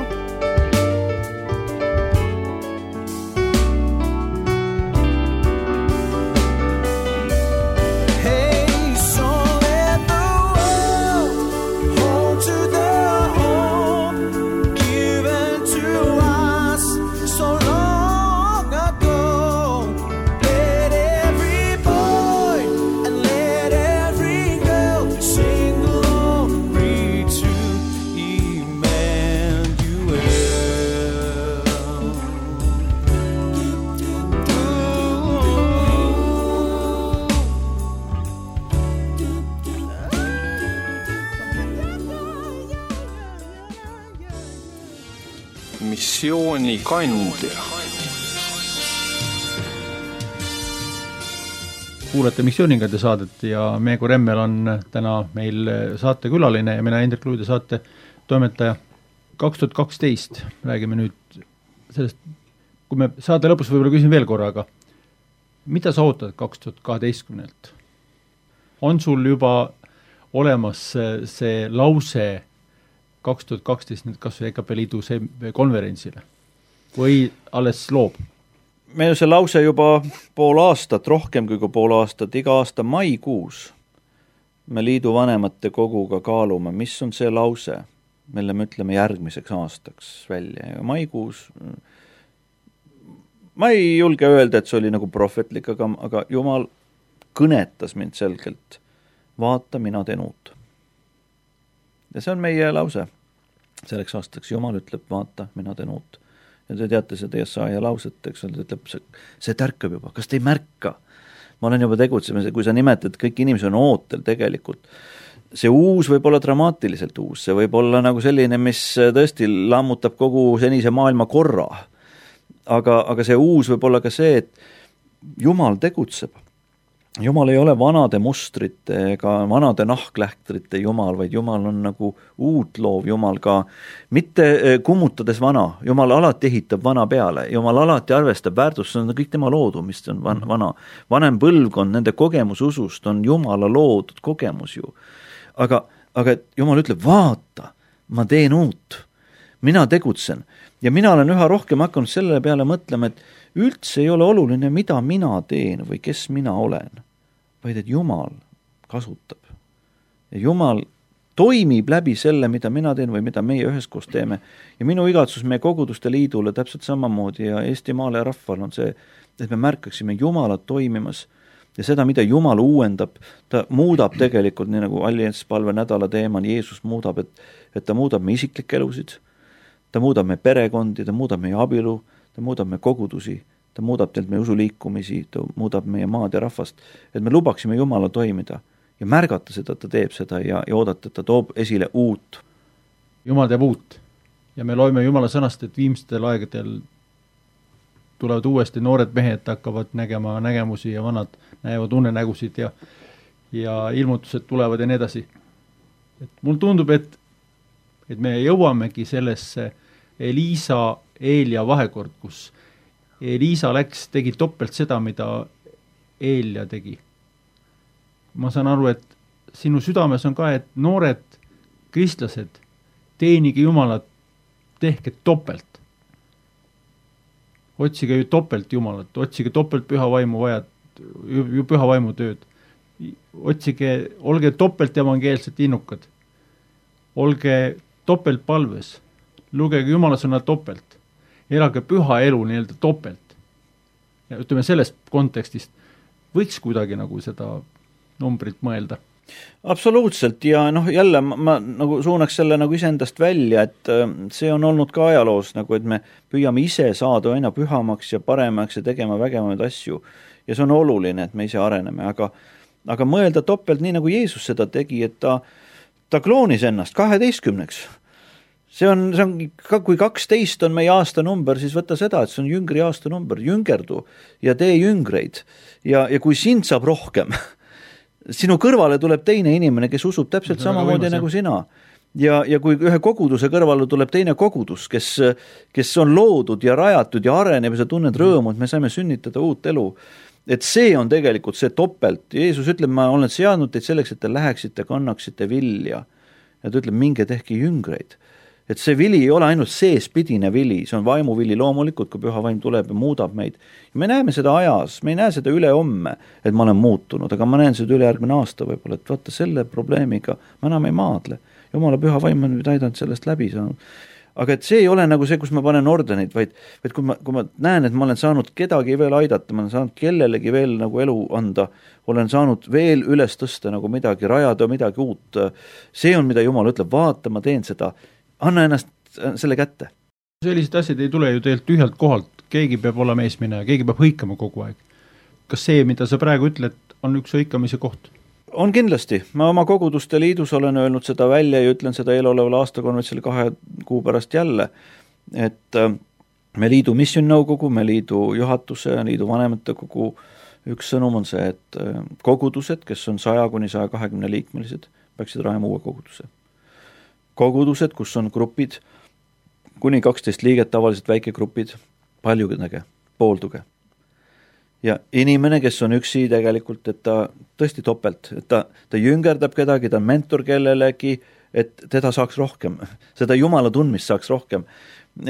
Missiooni kandja. Kuulete Missioonikandja saadet ja Meego Remmel on täna meil saatekülaline ja mina Indrek Luide saate toimetaja. kaks tuhat kaksteist räägime nüüd sellest, kui me saate lõpus võib-olla küsin veel korra, aga mida sa ootad kaks tuhat kaheteistkümnelt? On sul juba olemas see lause kaks tuhat kaksteist nüüd kas või E K P Liidu konverentsile või alles loob? Meil on see lause juba pool aastat, rohkem kui pool aastat, iga aasta maikuus me liidu vanemate koguga kaalume, mis on see lause, mille me ütleme järgmiseks aastaks välja. Ja maikuus, ma ei julge öelda, et see oli nagu prohvetlik, aga, aga Jumal kõnetas mind selgelt. Vaata, mina teen uut. Ja see on meie lause selleks aastaks. Jumal ütleb, vaata, mina teen uut. ja te teate seda Jesaja lauset, eks ole, ütleb, see, see tärkab juba, kas te ei märka? Ma olen juba tegutsemas, kui sa nimetad, kõik inimesed on ootel tegelikult. See uus võib olla dramaatiliselt uus, see võib olla nagu selline, mis tõesti lammutab kogu senise maailma korra. Aga, aga see uus võib olla ka see, et Jumal tegutseb. Jumal ei ole vanade mustrite ega vanade nahklähtrite Jumal, vaid Jumal on nagu uut loov Jumal ka, mitte kummutades vana. Jumal alati ehitab vana peale, Jumal alati arvestab väärtust, see on kõik tema loodu, mis on vana. Vanem põlvkond, nende kogemus usust on Jumala loodud kogemus ju. Aga, aga Jumal ütleb, vaata, ma teen uut, mina tegutsen. Ja mina olen üha rohkem hakanud selle peale mõtlema, et üldse ei ole oluline, mida mina teen või kes mina olen, vaid et Jumal kasutab. Ja Jumal toimib läbi selle, mida mina teen või mida meie üheskoos teeme. Ja minu igatsus meie koguduste liidule täpselt samamoodi ja Eestimaale ja rahval on see, et me märkaksime Jumalat toimimas ja seda, mida Jumal uuendab, ta muudab tegelikult, nii nagu allianspalve nädala teemal Jeesus muudab, et, et ta muudab meie isiklikke elusid, ta muudab meie perekondi, ta muudab meie abielu, ta muudab meie kogudusi, ta muudab teilt meie usuliikumisi, ta muudab meie maad ja rahvast, et me lubaksime Jumala toimida ja märgata seda, et ta teeb seda ja, ja oodata, et ta toob esile uut. Jumal teeb uut ja me loeme Jumala sõnast, et viimstel aegadel tulevad uuesti noored mehed, hakkavad nägema nägemusi ja vanad näevad unenägusid ja, ja ilmutused tulevad ja nii edasi. Et mul tundub, et, et me jõuamegi sellesse Eliisa Eelia vahekord, kus Eliisa läks, tegi topelt seda, mida Eelia tegi. Ma saan aru, et sinu südames on ka, et noored kristlased teenige Jumalat, tehke topelt. Otsige ju topelt Jumalat, otsige topelt püha vaimu vajad, ju püha vaimu tööd. Otsige, olge topelt evangeelselt innukad. Olge topelt palves. Lugege Jumala sõna topelt. Elage püha elu nii-öelda topelt. Ja ütleme sellest kontekstist võiks kuidagi nagu seda numbrit mõelda. Absoluutselt ja noh, jälle ma, ma nagu suunaks selle nagu iseendast välja, et see on olnud ka ajaloos nagu, et me püüame ise saada aina pühamaks ja paremaks ja tegema vägemaid asju ja see on oluline, et me ise areneme, aga, aga mõelda topelt nii nagu Jeesus seda tegi, et ta, ta kloonis ennast kaheteistkümneks. See on, see on, kui kaksteist on meie aastanumber, siis võtta seda, et see on jüngri aastanumber, jüngerdu ja tee jüngreid. Ja, ja kui sind saab rohkem, sinu kõrvale tuleb teine inimene, kes usub täpselt samamoodi nagu sina. Ja, ja kui ühe koguduse kõrvale tuleb teine kogudus, kes, kes on loodud ja rajatud ja areneb ja sa tunned rõõmu, et me saime sünnitada uut elu. Et see on tegelikult see topelt. Jeesus ütleb, ma olen seadnud teid selleks, et te läheksite, kannaksite vilja. Ja ta ütleb, minge tehke jüngreid. Et see vili ei ole ainult seespidine vili, see on vaimuvili loomulikult, kui püha vaim tuleb ja muudab meid. Ja me näeme seda ajas, me ei näe seda üle homme, et ma olen muutunud, aga ma näen seda üle järgmine aasta võib-olla, et vaata selle probleemiga ma enam ei maadle. Jumala püha vaim on nüüd aidanud sellest läbi saanud. Aga et see ei ole nagu see, kus ma panen ordenit, vaid, vaid kui, ma, kui ma näen, et ma olen saanud kedagi veel aidata, ma olen saanud kellelegi veel nagu elu anda, olen saanud veel üles tõsta nagu midagi, rajada midagi uut. See on, mida Jumal ütleb, vaata, ma teen seda. Anna ennast selle kätte. Sellised asjad ei tule ju teilt tühjalt kohalt. Keegi peab olema eesmine ja keegi peab hõikama kogu aeg. Kas see, mida sa praegu ütled, on üks hõikamise koht? On kindlasti. Ma oma koguduste liidus olen öelnud seda välja ja ütlen seda eeloleval aastakonverentsil kahe kuu pärast jälle, et me liidu missioonnõukogu, me liidu juhatuse, liidu vanemate kogu üks sõnum on see, et kogudused, kes on saja kuni saja kahekümne liikmelised, peaksid rajama uue koguduse. Kogudused, kus on grupid, kuni kaksteist liiget, tavaliselt väikegrupid, paljudega, poolduge. Ja inimene, kes on üksi tegelikult, et ta tõesti topelt, et ta, ta jüngerdab kedagi, ta on mentor kellelegi, et teda saaks rohkem, seda Jumala tundmist saaks rohkem.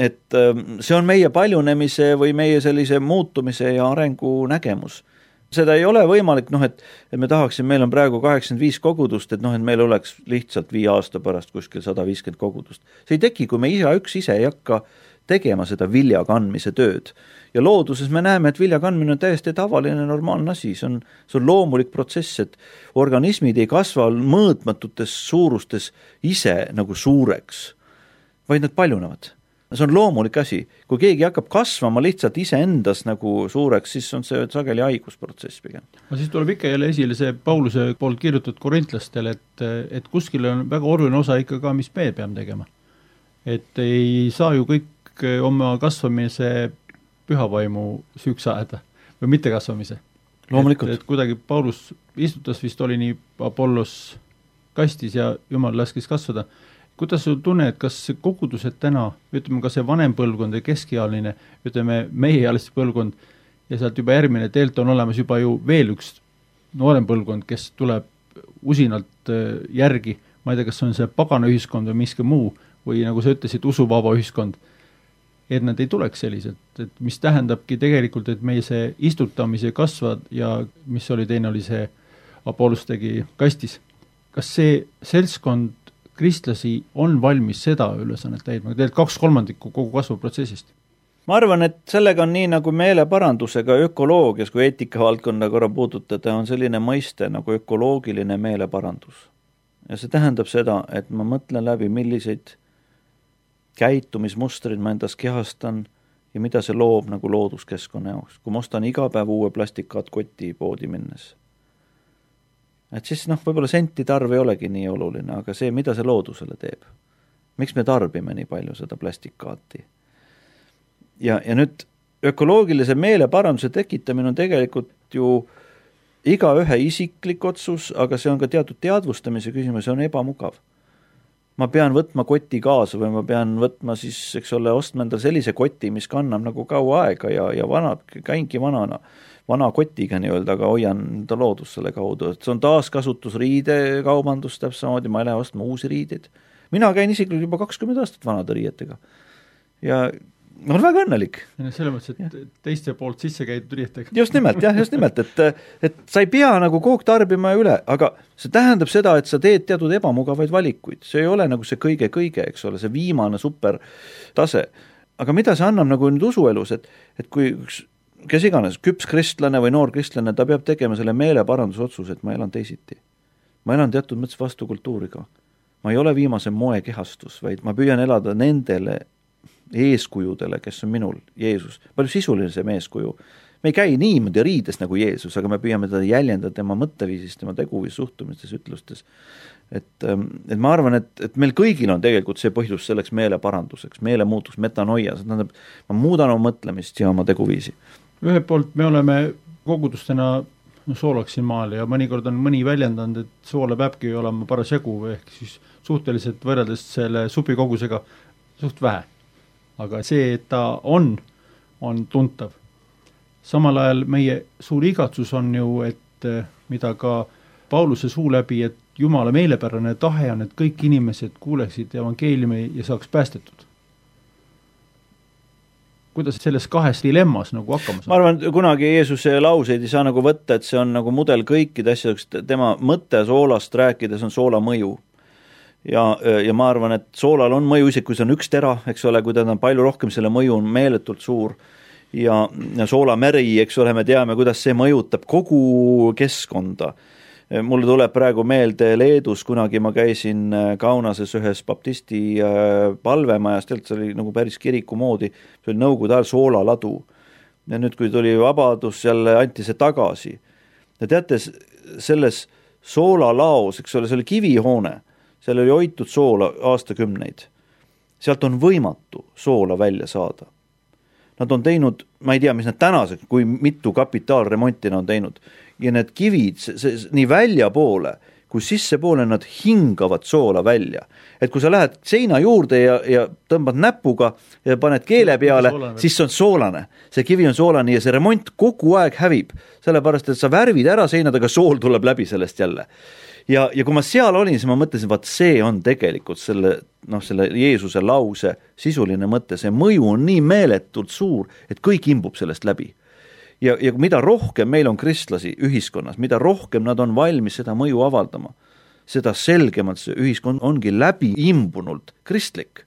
Et see on meie paljunemise või meie sellise muutumise ja arengu nägemus. Seda ei ole võimalik, noh, et, et me tahaksime, meil on praegu kaheksakümmend viis kogudust, et noh, et meil oleks lihtsalt viie aasta pärast kuskil sada viiskümmend kogudust. See ei teki, kui me ise üks ise ei hakka tegema seda vilja kandmise tööd. Ja looduses me näeme, et vilja kandmine on täiesti tavaline normaalne asi, see on, see on loomulik protsess, et organismid ei kasva mõõtmatutes suurustes ise nagu suureks, vaid nad paljunevad. see on loomulik asi. Kui keegi hakkab kasvama lihtsalt iseendas nagu suureks, siis on see sageli haigusprotsess pigem. No siis tuleb ikka jälle esile see Pauluse poolt kirjutatud korintlastele, et, et kuskil on väga oluline osa ikka ka, mis me peame tegema. Et ei saa ju kõik oma kasvamise pühavaimu süüks ajada või mitte kasvamise. Loomulikult. Et, et kuidagi Paulus istutas vist oli nii Apollos kastis ja Jumal laskis kasvada. Kuidas sul tunne, et kas kogudused täna, ütleme ka see vanem põlvkond ja keskealine, ütleme meiealiste põlvkond ja sealt juba järgmine teelt on olemas juba ju veel üks noorem põlvkond, kes tuleb usinalt järgi, ma ei tea, kas on see pagana ühiskond või miski muu või nagu sa ütlesid, usuvaba ühiskond, et nad ei tuleks selliselt, et mis tähendabki tegelikult, et meie see istutamise kasvad ja mis oli teine, oli see Apollos tegi kastis. Kas see seltskond kristlasi on valmis seda ülesannet täidma, teed kaks kolmandikku kogu kasvuprotsessist? Ma arvan, et sellega on nii nagu meeleparandusega ökoloogias, kui eetika valdkonda korra puudutada, on selline mõiste nagu ökoloogiline meeleparandus. Ja see tähendab seda, et ma mõtlen läbi, milliseid käitumismustrid ma endas kehastan ja mida see loob nagu looduskeskkonna jaoks. Kui ma ostan iga päev uue plastikaat koti poodi minnes. Et siis noh, võib-olla sentide arv ei olegi nii oluline, aga see, mida see loodusele teeb. Miks me tarbime nii palju seda plastikaati? Ja, ja nüüd ökoloogilise meeleparanduse tekitamine on tegelikult ju iga ühe isiklik otsus, aga see on ka teatud teadvustamise küsimus, see on ebamugav. Ma pean võtma koti kaasa või ma pean võtma siis, eks ole, ostma endale sellise koti, mis kannab nagu kaua aega ja, ja vana, käingi vanana, vana kotiga nii-öelda, aga hoian ta loodus selle kaudu. Et see on taaskasutus riidekaubandus, täpselt samamoodi, ma ei lähe ostma uusi riideid. Mina käin isiklikult juba kakskümmend aastat vanade riietega. Ja on väga õnnelik. Selle mõttes, et ja. Teiste poolt sisse käidud riietega. Just nimelt, jah, just nimelt, et, et sa ei pea nagu kogu tarbima üle, aga see tähendab seda, et sa teed teatud ebamugavaid valikuid. See ei ole nagu see kõige-kõige, eks ole, see viimane super tase. Aga mida see annab nagu nüüd usuelus, et, et kui üks, kes iganes, küps kristlane või noor kristlane, ta peab tegema selle meeleparandusotsus, et ma elan teisiti. Ma elan teatud mõttes vastu kultuuriga. Ma ei ole viimase moe kehastus, vaid ma püüan elada nendele eeskujudele, kes on minul, Jeesus. Palju sisulisem eeskuju. Me ei käi niimoodi riides nagu Jeesus, aga me püüame teda jäljendada tema mõtteviisist, tema teguvis, suhtumistes, ütlustes. Et, et ma arvan, et, et meil kõigil on tegelikult see põhjus selleks meeleparanduseks, meelemuutus, metanoia, see tähendab, ma muudan oma mõtlemist ja oma teguviisi. Ühelt poolt me oleme kogudustena no, soolaksin maal ja mõnikord on mõni väljendanud, et soola peabki olema paras jagu, ehk siis suhteliselt võrreldes selle supikogusega suht vähe. Aga see, et ta on, on tuntav. Samal ajal meie suur igatsus on ju, et mida ka Pauluse suu läbi, et Jumala meelepärane tahe on, et kõik inimesed kuuleksid evangeeliumi ja saaks päästetud. Kuidas selles kahes dilemmas nagu hakkama saab? Ma arvan, kunagi Jeesuse lauseid ei saa nagu võtta, et see on nagu mudel kõikide asjadeks, tema mõte soolast rääkides on soola mõju. Ja, ja ma arvan, et soolal on mõju isegi, kui see on üks tera, eks ole, kui ta on palju rohkem, selle mõju on meeletult suur ja, ja soolameri, eks ole, me teame, kuidas see mõjutab kogu keskkonda. Mulle tuleb praegu meelde Leedus, kunagi ma käisin Kaunases ühes baptisti palvemajas, tegelikult see oli nagu päris kiriku moodi, see oli nõukogude ajal soolaladu. Ja nüüd, kui tuli vabadus, jälle anti see tagasi. Ja teate, selles soolalaos, eks ole, see oli kivihoone, seal oli hoitud soola aastakümneid. Sealt on võimatu soola välja saada. Nad on teinud, ma ei tea, mis nad tänaseks, kui mitu kapitaalremonti nad on teinud. Ja need kivid, see, see, nii välja poole, kui sisse poole nad hingavad soola välja. Et kui sa lähed seina juurde ja, ja tõmbad näpuga ja paned keele peale, siis see on soolane. See kivi on soolane ja see remont kogu aeg hävib. Sellepärast, et sa värvid ära seinad, aga sool tuleb läbi sellest jälle. Ja, ja kui ma seal olin, siis ma mõtlesin, vaat see on tegelikult selle, noh, selle Jeesuse lause sisuline mõte, see mõju on nii meeletult suur, et kõik imbub sellest läbi. Ja, ja mida rohkem meil on kristlasi ühiskonnas, mida rohkem nad on valmis seda mõju avaldama, seda selgemalt see ühiskond ongi läbi imbunult kristlik.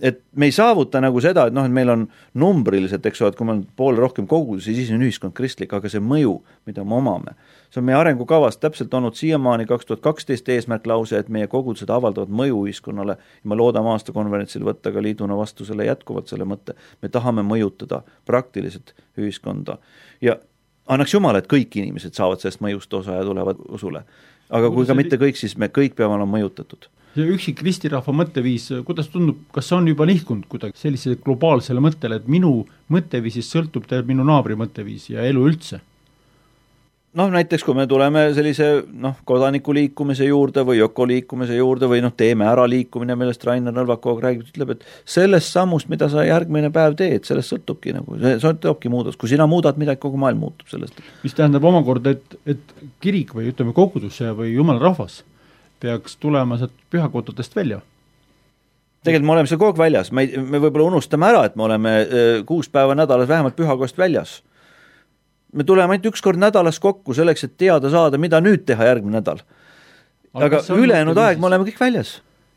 et me ei saavuta nagu seda, et noh, et meil on numbriliselt, eks ole, et kui meil on poole rohkem kogudusi, siis on ühiskond kristlik, aga see mõju, mida me omame, see on meie arengukavas täpselt olnud siiamaani kaks tuhat kaksteist eesmärk lause, et meie kogudused avaldavad mõju ühiskonnale ja me loodame aastakonverentsil võtta ka liiduna vastu selle jätkuvalt selle mõtte. Me tahame mõjutada praktiliselt ühiskonda ja annaks Jumal, et kõik inimesed saavad sellest mõjust osa ja tulevad usule. Aga kui ka mitte kõik, siis me kõik peame olema mõjutatud. Ja üksik ristirahva mõtteviis, kuidas tundub, kas on juba nihkunud kuidagi sellisele globaalsele mõttele, et minu mõtteviisist sõltub teil minu naabri mõtteviis ja elu üldse? Noh, näiteks kui me tuleme sellise noh, kodaniku liikumise juurde või ökoliikumise juurde või noh, teeme ära liikumine, millest Rainer Nõlvakog räägib, ütleb, et sellest sammust, mida sa järgmine päev teed, sellest sõltubki nagu, see sõltubki muudas. Kui sina muudad midagi, kogu maailm muutub sellest. Mis tähendab omakorda, et, et kirik või ütleme kogudus või jumala rahvas peaks tulema sealt pühakodadest välja? Tegelikult me oleme seal kogu aeg väljas, me, me võib-olla unustame ära, et me oleme kuus päeva nädalas vähemalt pühakodast väljas. Me tuleme ainult üks kord nädalas kokku selleks, et teada saada, mida nüüd teha järgmine nädal. Aga, aga ülejäänud aeg me oleme kõik väljas.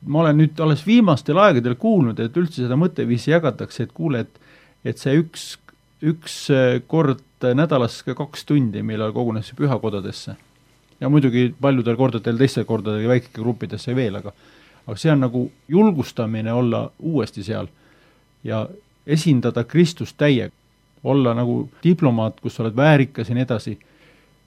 Ma olen nüüd alles viimastel aegadel kuulnud, et üldse seda mõtteviisi jagatakse, et kuule, et, et see üks, üks kord nädalas kaks tundi millal kogunes pühakodadesse. Ja muidugi paljudel kordadel, teistel kordadel väikike gruppidesse veel, aga, aga see on nagu julgustamine olla uuesti seal ja esindada Kristust täiega, olla nagu diplomaat, kus oled väärikas ja nii edasi,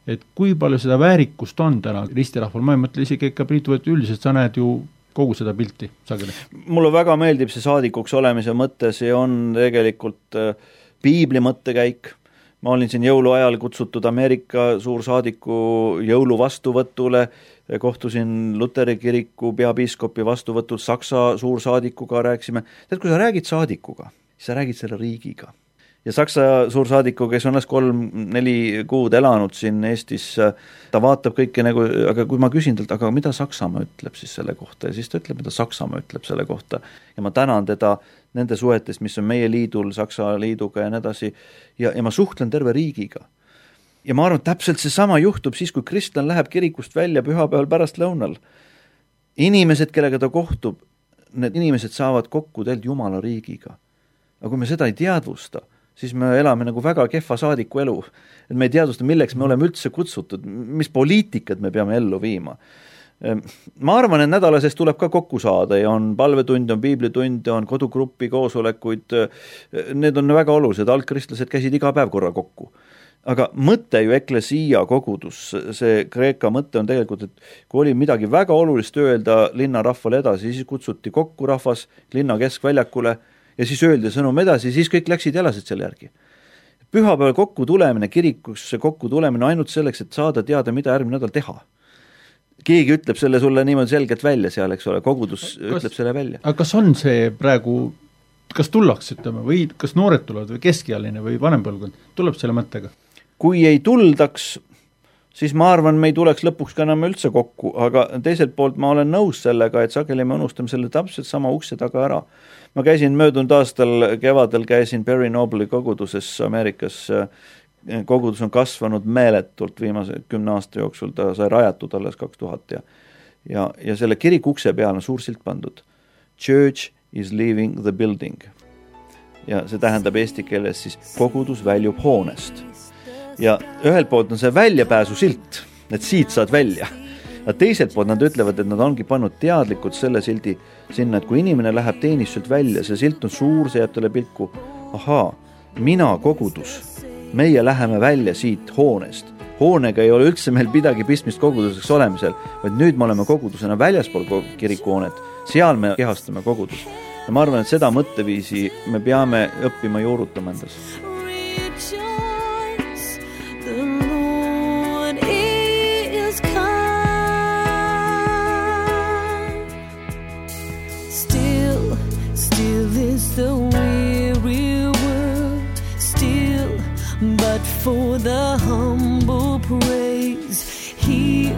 et kui palju seda väärikust on täna ristirahval, ma ei mõtle isegi ikka Priitu, et üldiselt sa näed ju kogu seda pilti sageli. Mulle väga meeldib see saadikuks olemise mõte, see on tegelikult äh, piibli mõttekäik. Ma olin siin jõuluajal kutsutud Ameerika suursaadiku jõulu vastuvõtule, kohtusin Luteri kiriku peapiiskopi vastuvõtul Saksa suursaadikuga, rääkisime. Tead, kui sa räägid saadikuga, siis sa räägid selle riigiga. Ja Saksa suursaadiku, kes on alles kolm, neli kuud elanud siin Eestis, ta vaatab kõike nagu, aga kui ma küsin talt, aga mida Saksamaa ütleb siis selle kohta, ja siis ta ütleb, mida Saksamaa ütleb selle kohta. Ja ma tänan teda nende suhetest, mis on meie liidul, Saksa liiduga ja nii edasi, ja, ja ma suhtlen terve riigiga. Ja ma arvan, et täpselt see sama juhtub siis, kui kristlane läheb kirikust välja pühapäeval pärast lõunal. Inimesed, kellega ta kohtub, need inimesed saavad kokku tegelikult Jumala riigiga. Aga kui me seda ei teadvusta, siis me elame nagu väga kehva saadiku elu. Et me ei teadvusta, milleks me oleme üldse kutsutud, mis poliitikat me peame ellu viima. Ma arvan, et nädalasest tuleb ka kokku saada ja on palvetund, on piiblitund, on kodugruppi koosolekuid. Need on väga olulised, algkristlased käisid iga päev korra kokku. Aga mõte ju eklesia kogudus, see Kreeka mõte on tegelikult, et kui oli midagi väga olulist öelda linna rahvale edasi, siis kutsuti kokku rahvas linna keskväljakule ja siis öeldi sõnum edasi, siis kõik läksid ja elasid selle järgi. Pühapäeval kokku tulemine, kirikusse kokku tulemine ainult selleks, et saada teada, mida järgmine nädal teha. Keegi ütleb selle sulle niimoodi selgelt välja seal, eks ole, kogudus kas, ütleb selle välja. Aga kas on see praegu, kas tullaks, ütleme, või kas noored tulevad või keskealine või vanempõlvkond, tuleb selle mõttega? Kui ei tuldaks, siis ma arvan, me ei tuleks lõpuks ka enam üldse kokku, aga teiselt poolt ma olen nõus sellega, et sageli me unustame selle täpselt sama ukse taga ära. Ma käisin möödunud aastal kevadel, käisin Perry Noble'i koguduses Ameerikas. Kogudus on kasvanud meeletult viimase kümne aasta jooksul, ta sai rajatud alles kaks tuhat ja, ja, ja selle kirik ukse peal on suur silt pandud. Church is leaving the building. Ja see tähendab eesti keeles siis kogudus väljub hoonest. Ja ühelt poolt on see väljapääsu silt, et siit saad välja. Ja teiselt poolt nad ütlevad, et nad ongi pannud teadlikult selle sildi sinna, et kui inimene läheb teenistuselt välja, see silt on suur, see jääb talle pilku. Ahaa, mina kogudus, meie läheme välja siit hoonest. Hoonega ei ole üldse meil midagi pistmist koguduseks olemisel, vaid nüüd me oleme kogudusena väljaspool kirikuhoonet, seal me kehastame kogudus. Ja ma arvan, et seda mõtteviisi me peame õppima juurutama endas. The weary world still, but for the humble praise, here,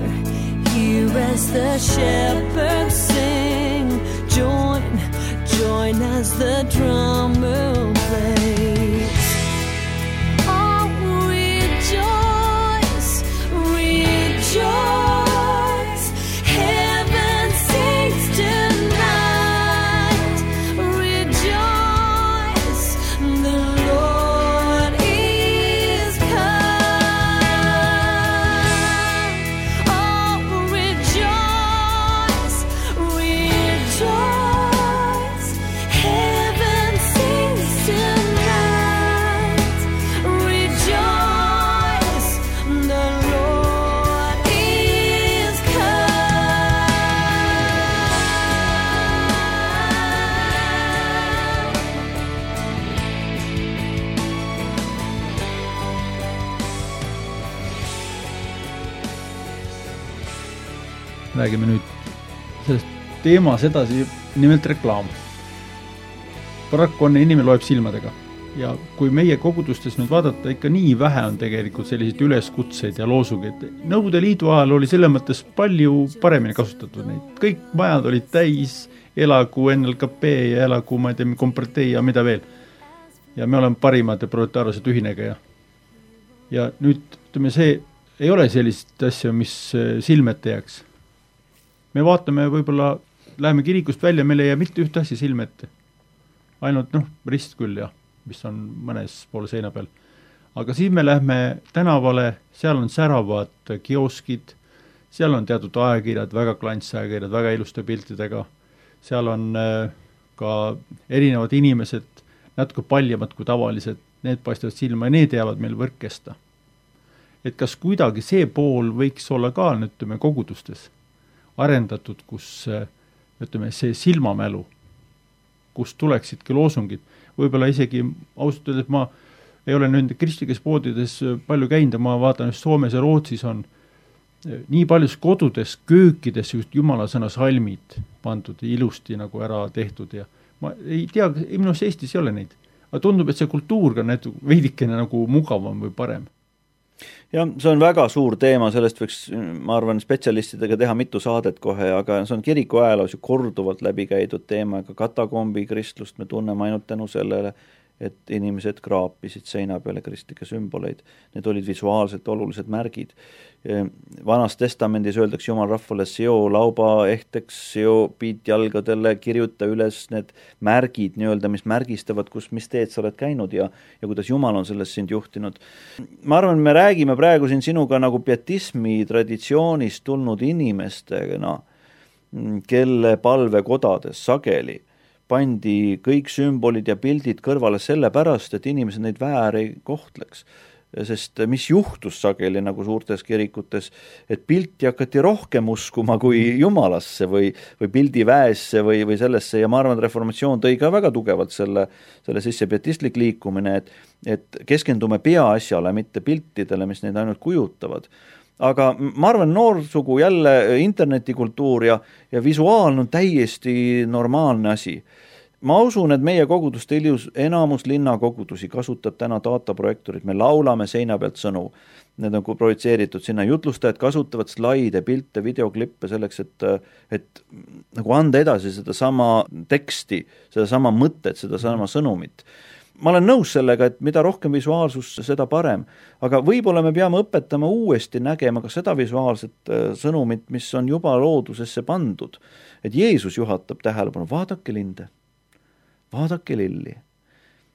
here as the shepherds sing, join, join as the drummer plays. Oh, rejoice, rejoice. Heaven sings tonight. Rejoice. räägime nüüd sellest teemas edasi, nimelt reklaam. Paraku on inimene loeb silmadega ja kui meie kogudustes nüüd vaadata, ikka nii vähe on tegelikult selliseid üleskutseid ja loosungeid. Nõukogude Liidu ajal oli selle mõttes palju paremini kasutatud neid. Kõik majad olid täis, elagu N L K P ja elagu, ma ei tea, Kompartei ja mida veel. Ja me oleme parimad ja proletaarsed ühinega ja, ja nüüd, ütleme, see ei ole sellist asja, mis silmete jääks. Me vaatame võib-olla, läheme kirikust välja, meil ei jää mitte ühte asja silmete. Ainult, noh, rist küll, jah, mis on mõnes poole seina peal. Aga siis me lähme tänavale, seal on säravad kioskid, seal on teatud ajakirjad, väga klantsajakirjad, väga iluste piltidega, seal on ka erinevad inimesed, natuke paljemad kui tavalised, need paistavad silma ja need jäävad meil võrkesta. Et kas kuidagi see pool võiks olla ka, ütleme, kogudustes arendatud, kus, ütleme, see silmamälu, kus tuleksidki loosungid. Võib-olla isegi ausalt öeldes, ma ei ole nüüd kristlikes poodides palju käinud, ma vaatan, et Soomes ja Rootsis on nii paljus kodudes, köökides just jumala sõna salmid pandud ilusti nagu ära tehtud ja ma ei tea, minus Eestis ei ole neid. Aga tundub, et see kultuur on veidikene nagu mugavam või parem. Ja see on väga suur teema, sellest võiks, ma arvan, spetsialistidega teha mitu saadet kohe, aga see on kiriku ajaloos ju korduvalt läbi käidud teema, aga katakombi kristlust me tunneme ainult tänu sellele, et inimesed kraapisid seina peale kristlikke sümboleid. Need olid visuaalselt olulised märgid. Vanas testamendis öeldakse jumal rahvale seo lauba ehteks, seo piit jalgadele, kirjuta üles need märgid, nii-öelda, mis märgistavad, kus, mis teed sa oled käinud ja, ja kuidas jumal on sellest sind juhtinud. Ma arvan, me räägime praegu siin sinuga nagu pietismi traditsioonist tulnud inimestega, no, kelle palvekodades sageli pandi kõik sümbolid ja pildid kõrvale selle pärast, et inimesed neid väär ei kohtleks. Sest mis juhtus sageli nagu suurtes kirikutes, et pilti hakati rohkem uskuma kui jumalasse või, või pildi väesse või, või sellesse ja ma arvan, et reformatsioon tõi ka väga tugevalt selle, selle sisse pietistlik liikumine, et, et keskendume peaasjale, mitte piltidele, mis neid ainult kujutavad. Aga ma arvan, noorsugu jälle internetikultuur ja, ja visuaalne on täiesti normaalne asi. Ma usun, et meie koguduste ilus enamus linnakogudusi kasutab täna dataprojektorid. Me laulame seina pealt sõnu. Need on projitseeritud sinna. Jutlustajad kasutavad slaide, pilte, videoklippe selleks, et, et nagu anda edasi seda sama teksti, seda sama mõtet, seda sama sõnumit. Ma olen nõus sellega, et mida rohkem visuaalsus, seda parem. Aga võib-olla me peame õpetama uuesti nägema ka seda visuaalset sõnumit, mis on juba loodusesse pandud. Et Jeesus juhatab tähelepanu, vaadake linde, vaadake lilli.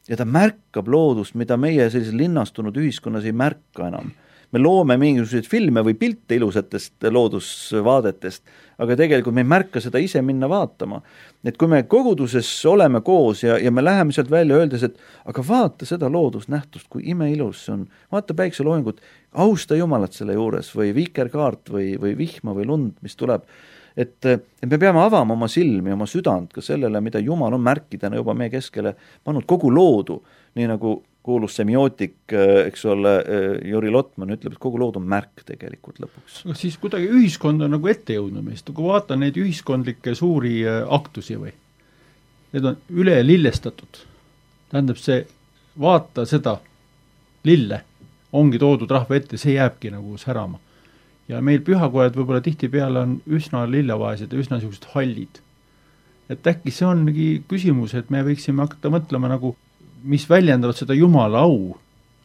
Ja ta märkab loodust, mida meie sellises linnastunud ühiskonnas ei märka enam. Me loome mingisuguseid filme või pilte ilusatest loodusvaadetest, aga tegelikult me ei märka seda ise minna vaatama. Et kui me koguduses oleme koos ja, ja me läheme sealt välja öeldes, et aga vaata seda loodusnähtust, kui imeilus see on, vaata päikseloojangut, austa jumalat selle juures või viikerkaart või, või vihma või lund, mis tuleb. Et, et me peame avama oma silmi, oma südant ka sellele, mida Jumal on märkidena juba meie keskele pannud kogu loodu, nii nagu kuulus semiootik, eks ole, Jüri Lotman ütleb, et kogu lood on märk tegelikult lõpuks. Aga siis kuidagi ühiskond on nagu ette jõudnud meist, kui vaatan neid ühiskondlikke suuri aktusi või, need on üle lillestatud. Tähendab see, vaata seda lille, ongi toodud rahva ette, see jääbki nagu särama. Ja meil pühakojad võib-olla tihti peale on üsna lillevaesed ja üsna niisugused hallid. Et äkki see ongi küsimus, et me võiksime hakata mõtlema nagu, mis väljendavad seda Jumala au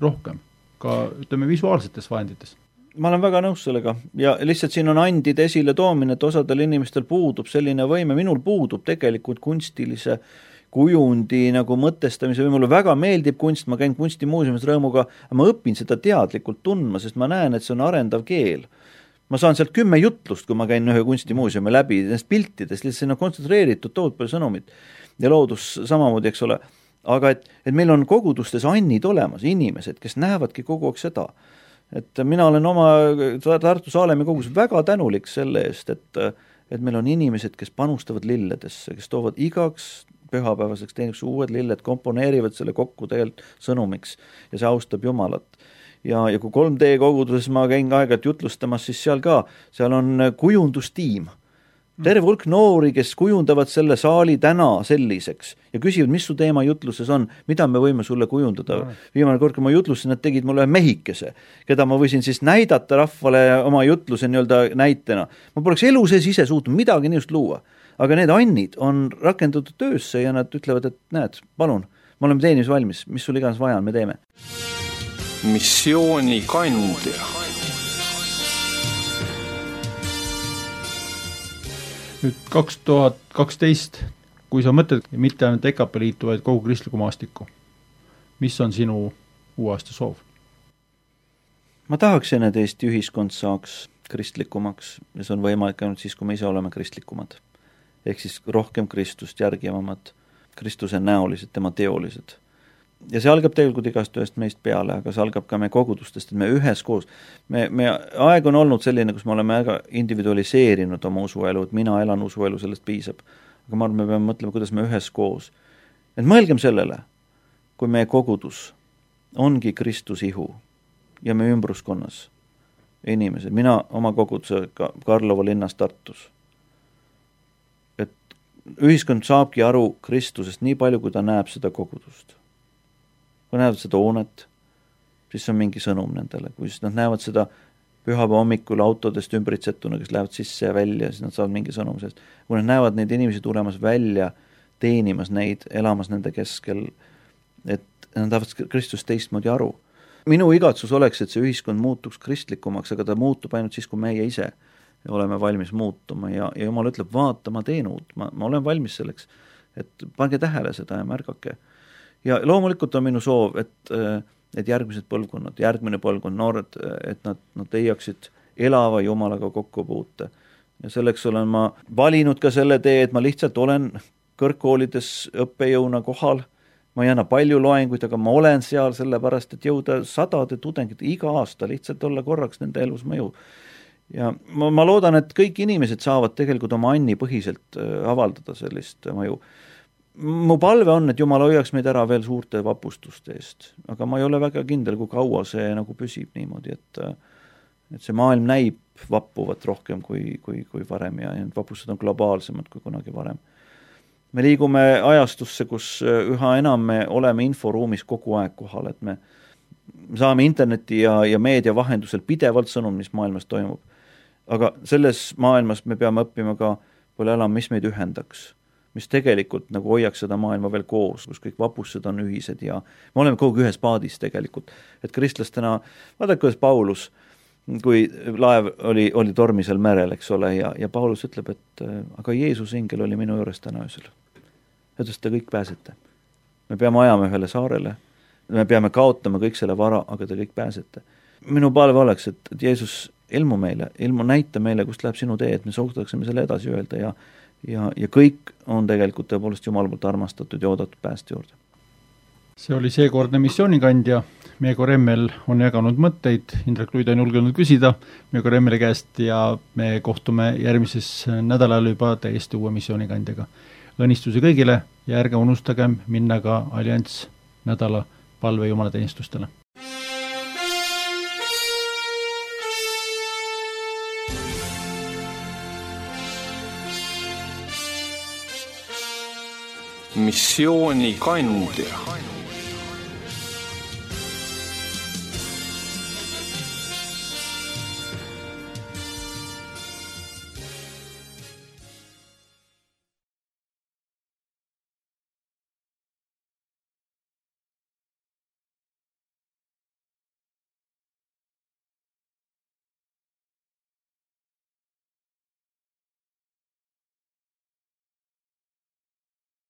rohkem, ka ütleme visuaalsetes vahendites. Ma olen väga nõus sellega ja lihtsalt siin on andide esile toomine, et osadel inimestel puudub selline võime, minul puudub tegelikult kunstilise kujundi nagu mõtestamise või mulle väga meeldib kunst, ma käin kunstimuuseumis rõõmuga, ma õpin seda teadlikult tundma, sest ma näen, et see on arendav keel. Ma saan sealt kümme jutlust, kui ma käin ühe kunstimuuseumi läbi, nendest piltidest, lihtsalt sinna kontsentreeritud tood palju sõnumit ja loodus samamoodi, eks ole. Aga et, et meil on kogudustes annid olemas, inimesed, kes näevadki kogu aeg seda. Et mina olen oma Tartu Saalemi kogus väga tänulik selle eest, et, et meil on inimesed, kes panustavad lilledesse, kes toovad igaks pühapäevaseks teeniks uued lilled, komponeerivad selle kokku tegelikult sõnumiks ja see austab Jumalat. ja, ja kui kolm D koguduses ma käin aeg-ajalt jutlustamas, siis seal ka, seal on kujundustiim. Terve hulk noori, kes kujundavad selle saali täna selliseks ja küsivad, mis su teema jutluses on, mida me võime sulle kujundada. Viimane kord, kui ma jutlusin, nad tegid mulle mehikese, keda ma võisin siis näidata rahvale oma jutluse nii-öelda näitena. Ma poleks elu sees ise suutnud midagi niisugust luua. Aga need annid on rakendatud töösse ja nad ütlevad, et näed, palun, me oleme teenimis valmis, mis sul iganes vaja on, me teeme. Missiooni kandja. Nüüd kaks tuhat kaksteist, kui sa mõtled mitte ainult E K P liitu, vaid kogu kristliku maastiku, mis on sinu uue aasta soov? Ma tahaksin, et Eesti ühiskond saaks kristlikumaks ja see on võimalik ainult siis, kui me ise oleme kristlikumad. Ehk siis rohkem Kristust järgivamad, Kristuse näolised, tema teolised. Ja see algab tegelikult igast ühest meist peale, aga see algab ka meie kogudustest, et me üheskoos, me, me aeg on olnud selline, kus me oleme väga individualiseerinud oma usuelu, et mina elan usuelu, sellest piisab. Aga ma arvan, me peame mõtlema, kuidas me üheskoos. Et mõelgem sellele, kui meie kogudus ongi Kristus ihu ja me ümbruskonnas inimesed, mina oma koguduse Karlova linnas Tartus, et ühiskond saabki aru Kristusest nii palju, kui ta näeb seda kogudust. Kui näevad seda hoonet, siis on mingi sõnum nendele. Kui siis nad näevad seda pühapäeva hommikul autodest ümbritsetuna, kes lähevad sisse ja välja, siis nad saavad mingi sõnum sellest. Kui nad näevad neid inimesi tulemas välja, teenimas neid, elamas nende keskel, et nad tahavad Kristust teistmoodi aru. Minu igatsus oleks, et see ühiskond muutuks kristlikumaks, aga ta muutub ainult siis, kui meie ise oleme valmis muutuma ja, ja Jumal ütleb, vaata, ma teen uut, ma, ma olen valmis selleks, et pange tähele seda ja märgake. Ja loomulikult on minu soov, et, et järgmised põlvkonnad, järgmine põlvkond, noored, et nad, nad leiaksid elava Jumalaga kokkupuute. Ja selleks olen ma valinud ka selle tee, et ma lihtsalt olen kõrgkoolides õppejõuna kohal. Ma ei anna palju loenguid, aga ma olen seal sellepärast, et jõuda sadade tudengid iga aasta, lihtsalt olla korraks nende elus mõju. Ja ma, ma loodan, et kõik inimesed saavad tegelikult oma anni põhiselt avaldada sellist mõju. Mu palve on, et Jumal hoiaks meid ära veel suurte vapustuste eest, aga ma ei ole väga kindel, kui kaua see nagu püsib niimoodi, et, et see maailm näib vappuvat rohkem kui, kui, kui varem ja need vapustused on globaalsemad kui kunagi varem. Me liigume ajastusse, kus üha enam me oleme inforuumis kogu aeg kohal, et me saame interneti ja, ja meedia vahendusel pidevalt sõnum, mis maailmas toimub. Aga selles maailmas me peame õppima ka palju elama, mis meid ühendaks, mis tegelikult nagu hoiaks seda maailma veel koos, kus kõik vapused on ühised ja me oleme kogu ühes paadis tegelikult. Et kristlastena, vaadake, kuidas Paulus, kui laev oli, oli tormisel merel, eks ole, ja, ja Paulus ütleb, et aga Jeesus ingel oli minu juures täna öösel. Ütles, te kõik pääsete. Me peame ajama ühele saarele, me peame kaotama kõik selle vara, aga te kõik pääsete. Minu palve oleks, et, et Jeesus ilmu meile, ilmu näita meile, kust läheb sinu tee, et me suhtaksime selle edasi öelda ja Ja, ja kõik on tegelikult tõepoolest Jumal poolt armastatud ja oodatud pääste juurde. See oli seekordne missioonikandja. Meego Remmel on jaganud mõtteid, Indrek Luid on julgenud küsida Meego Remmeli käest ja me kohtume järgmises nädalal juba täiesti uue missioonikandjaga. Õnnistusi kõigile ja ärge unustagem minna ka Allianss nädala palve jumalateenistustele. Missiooni kandja.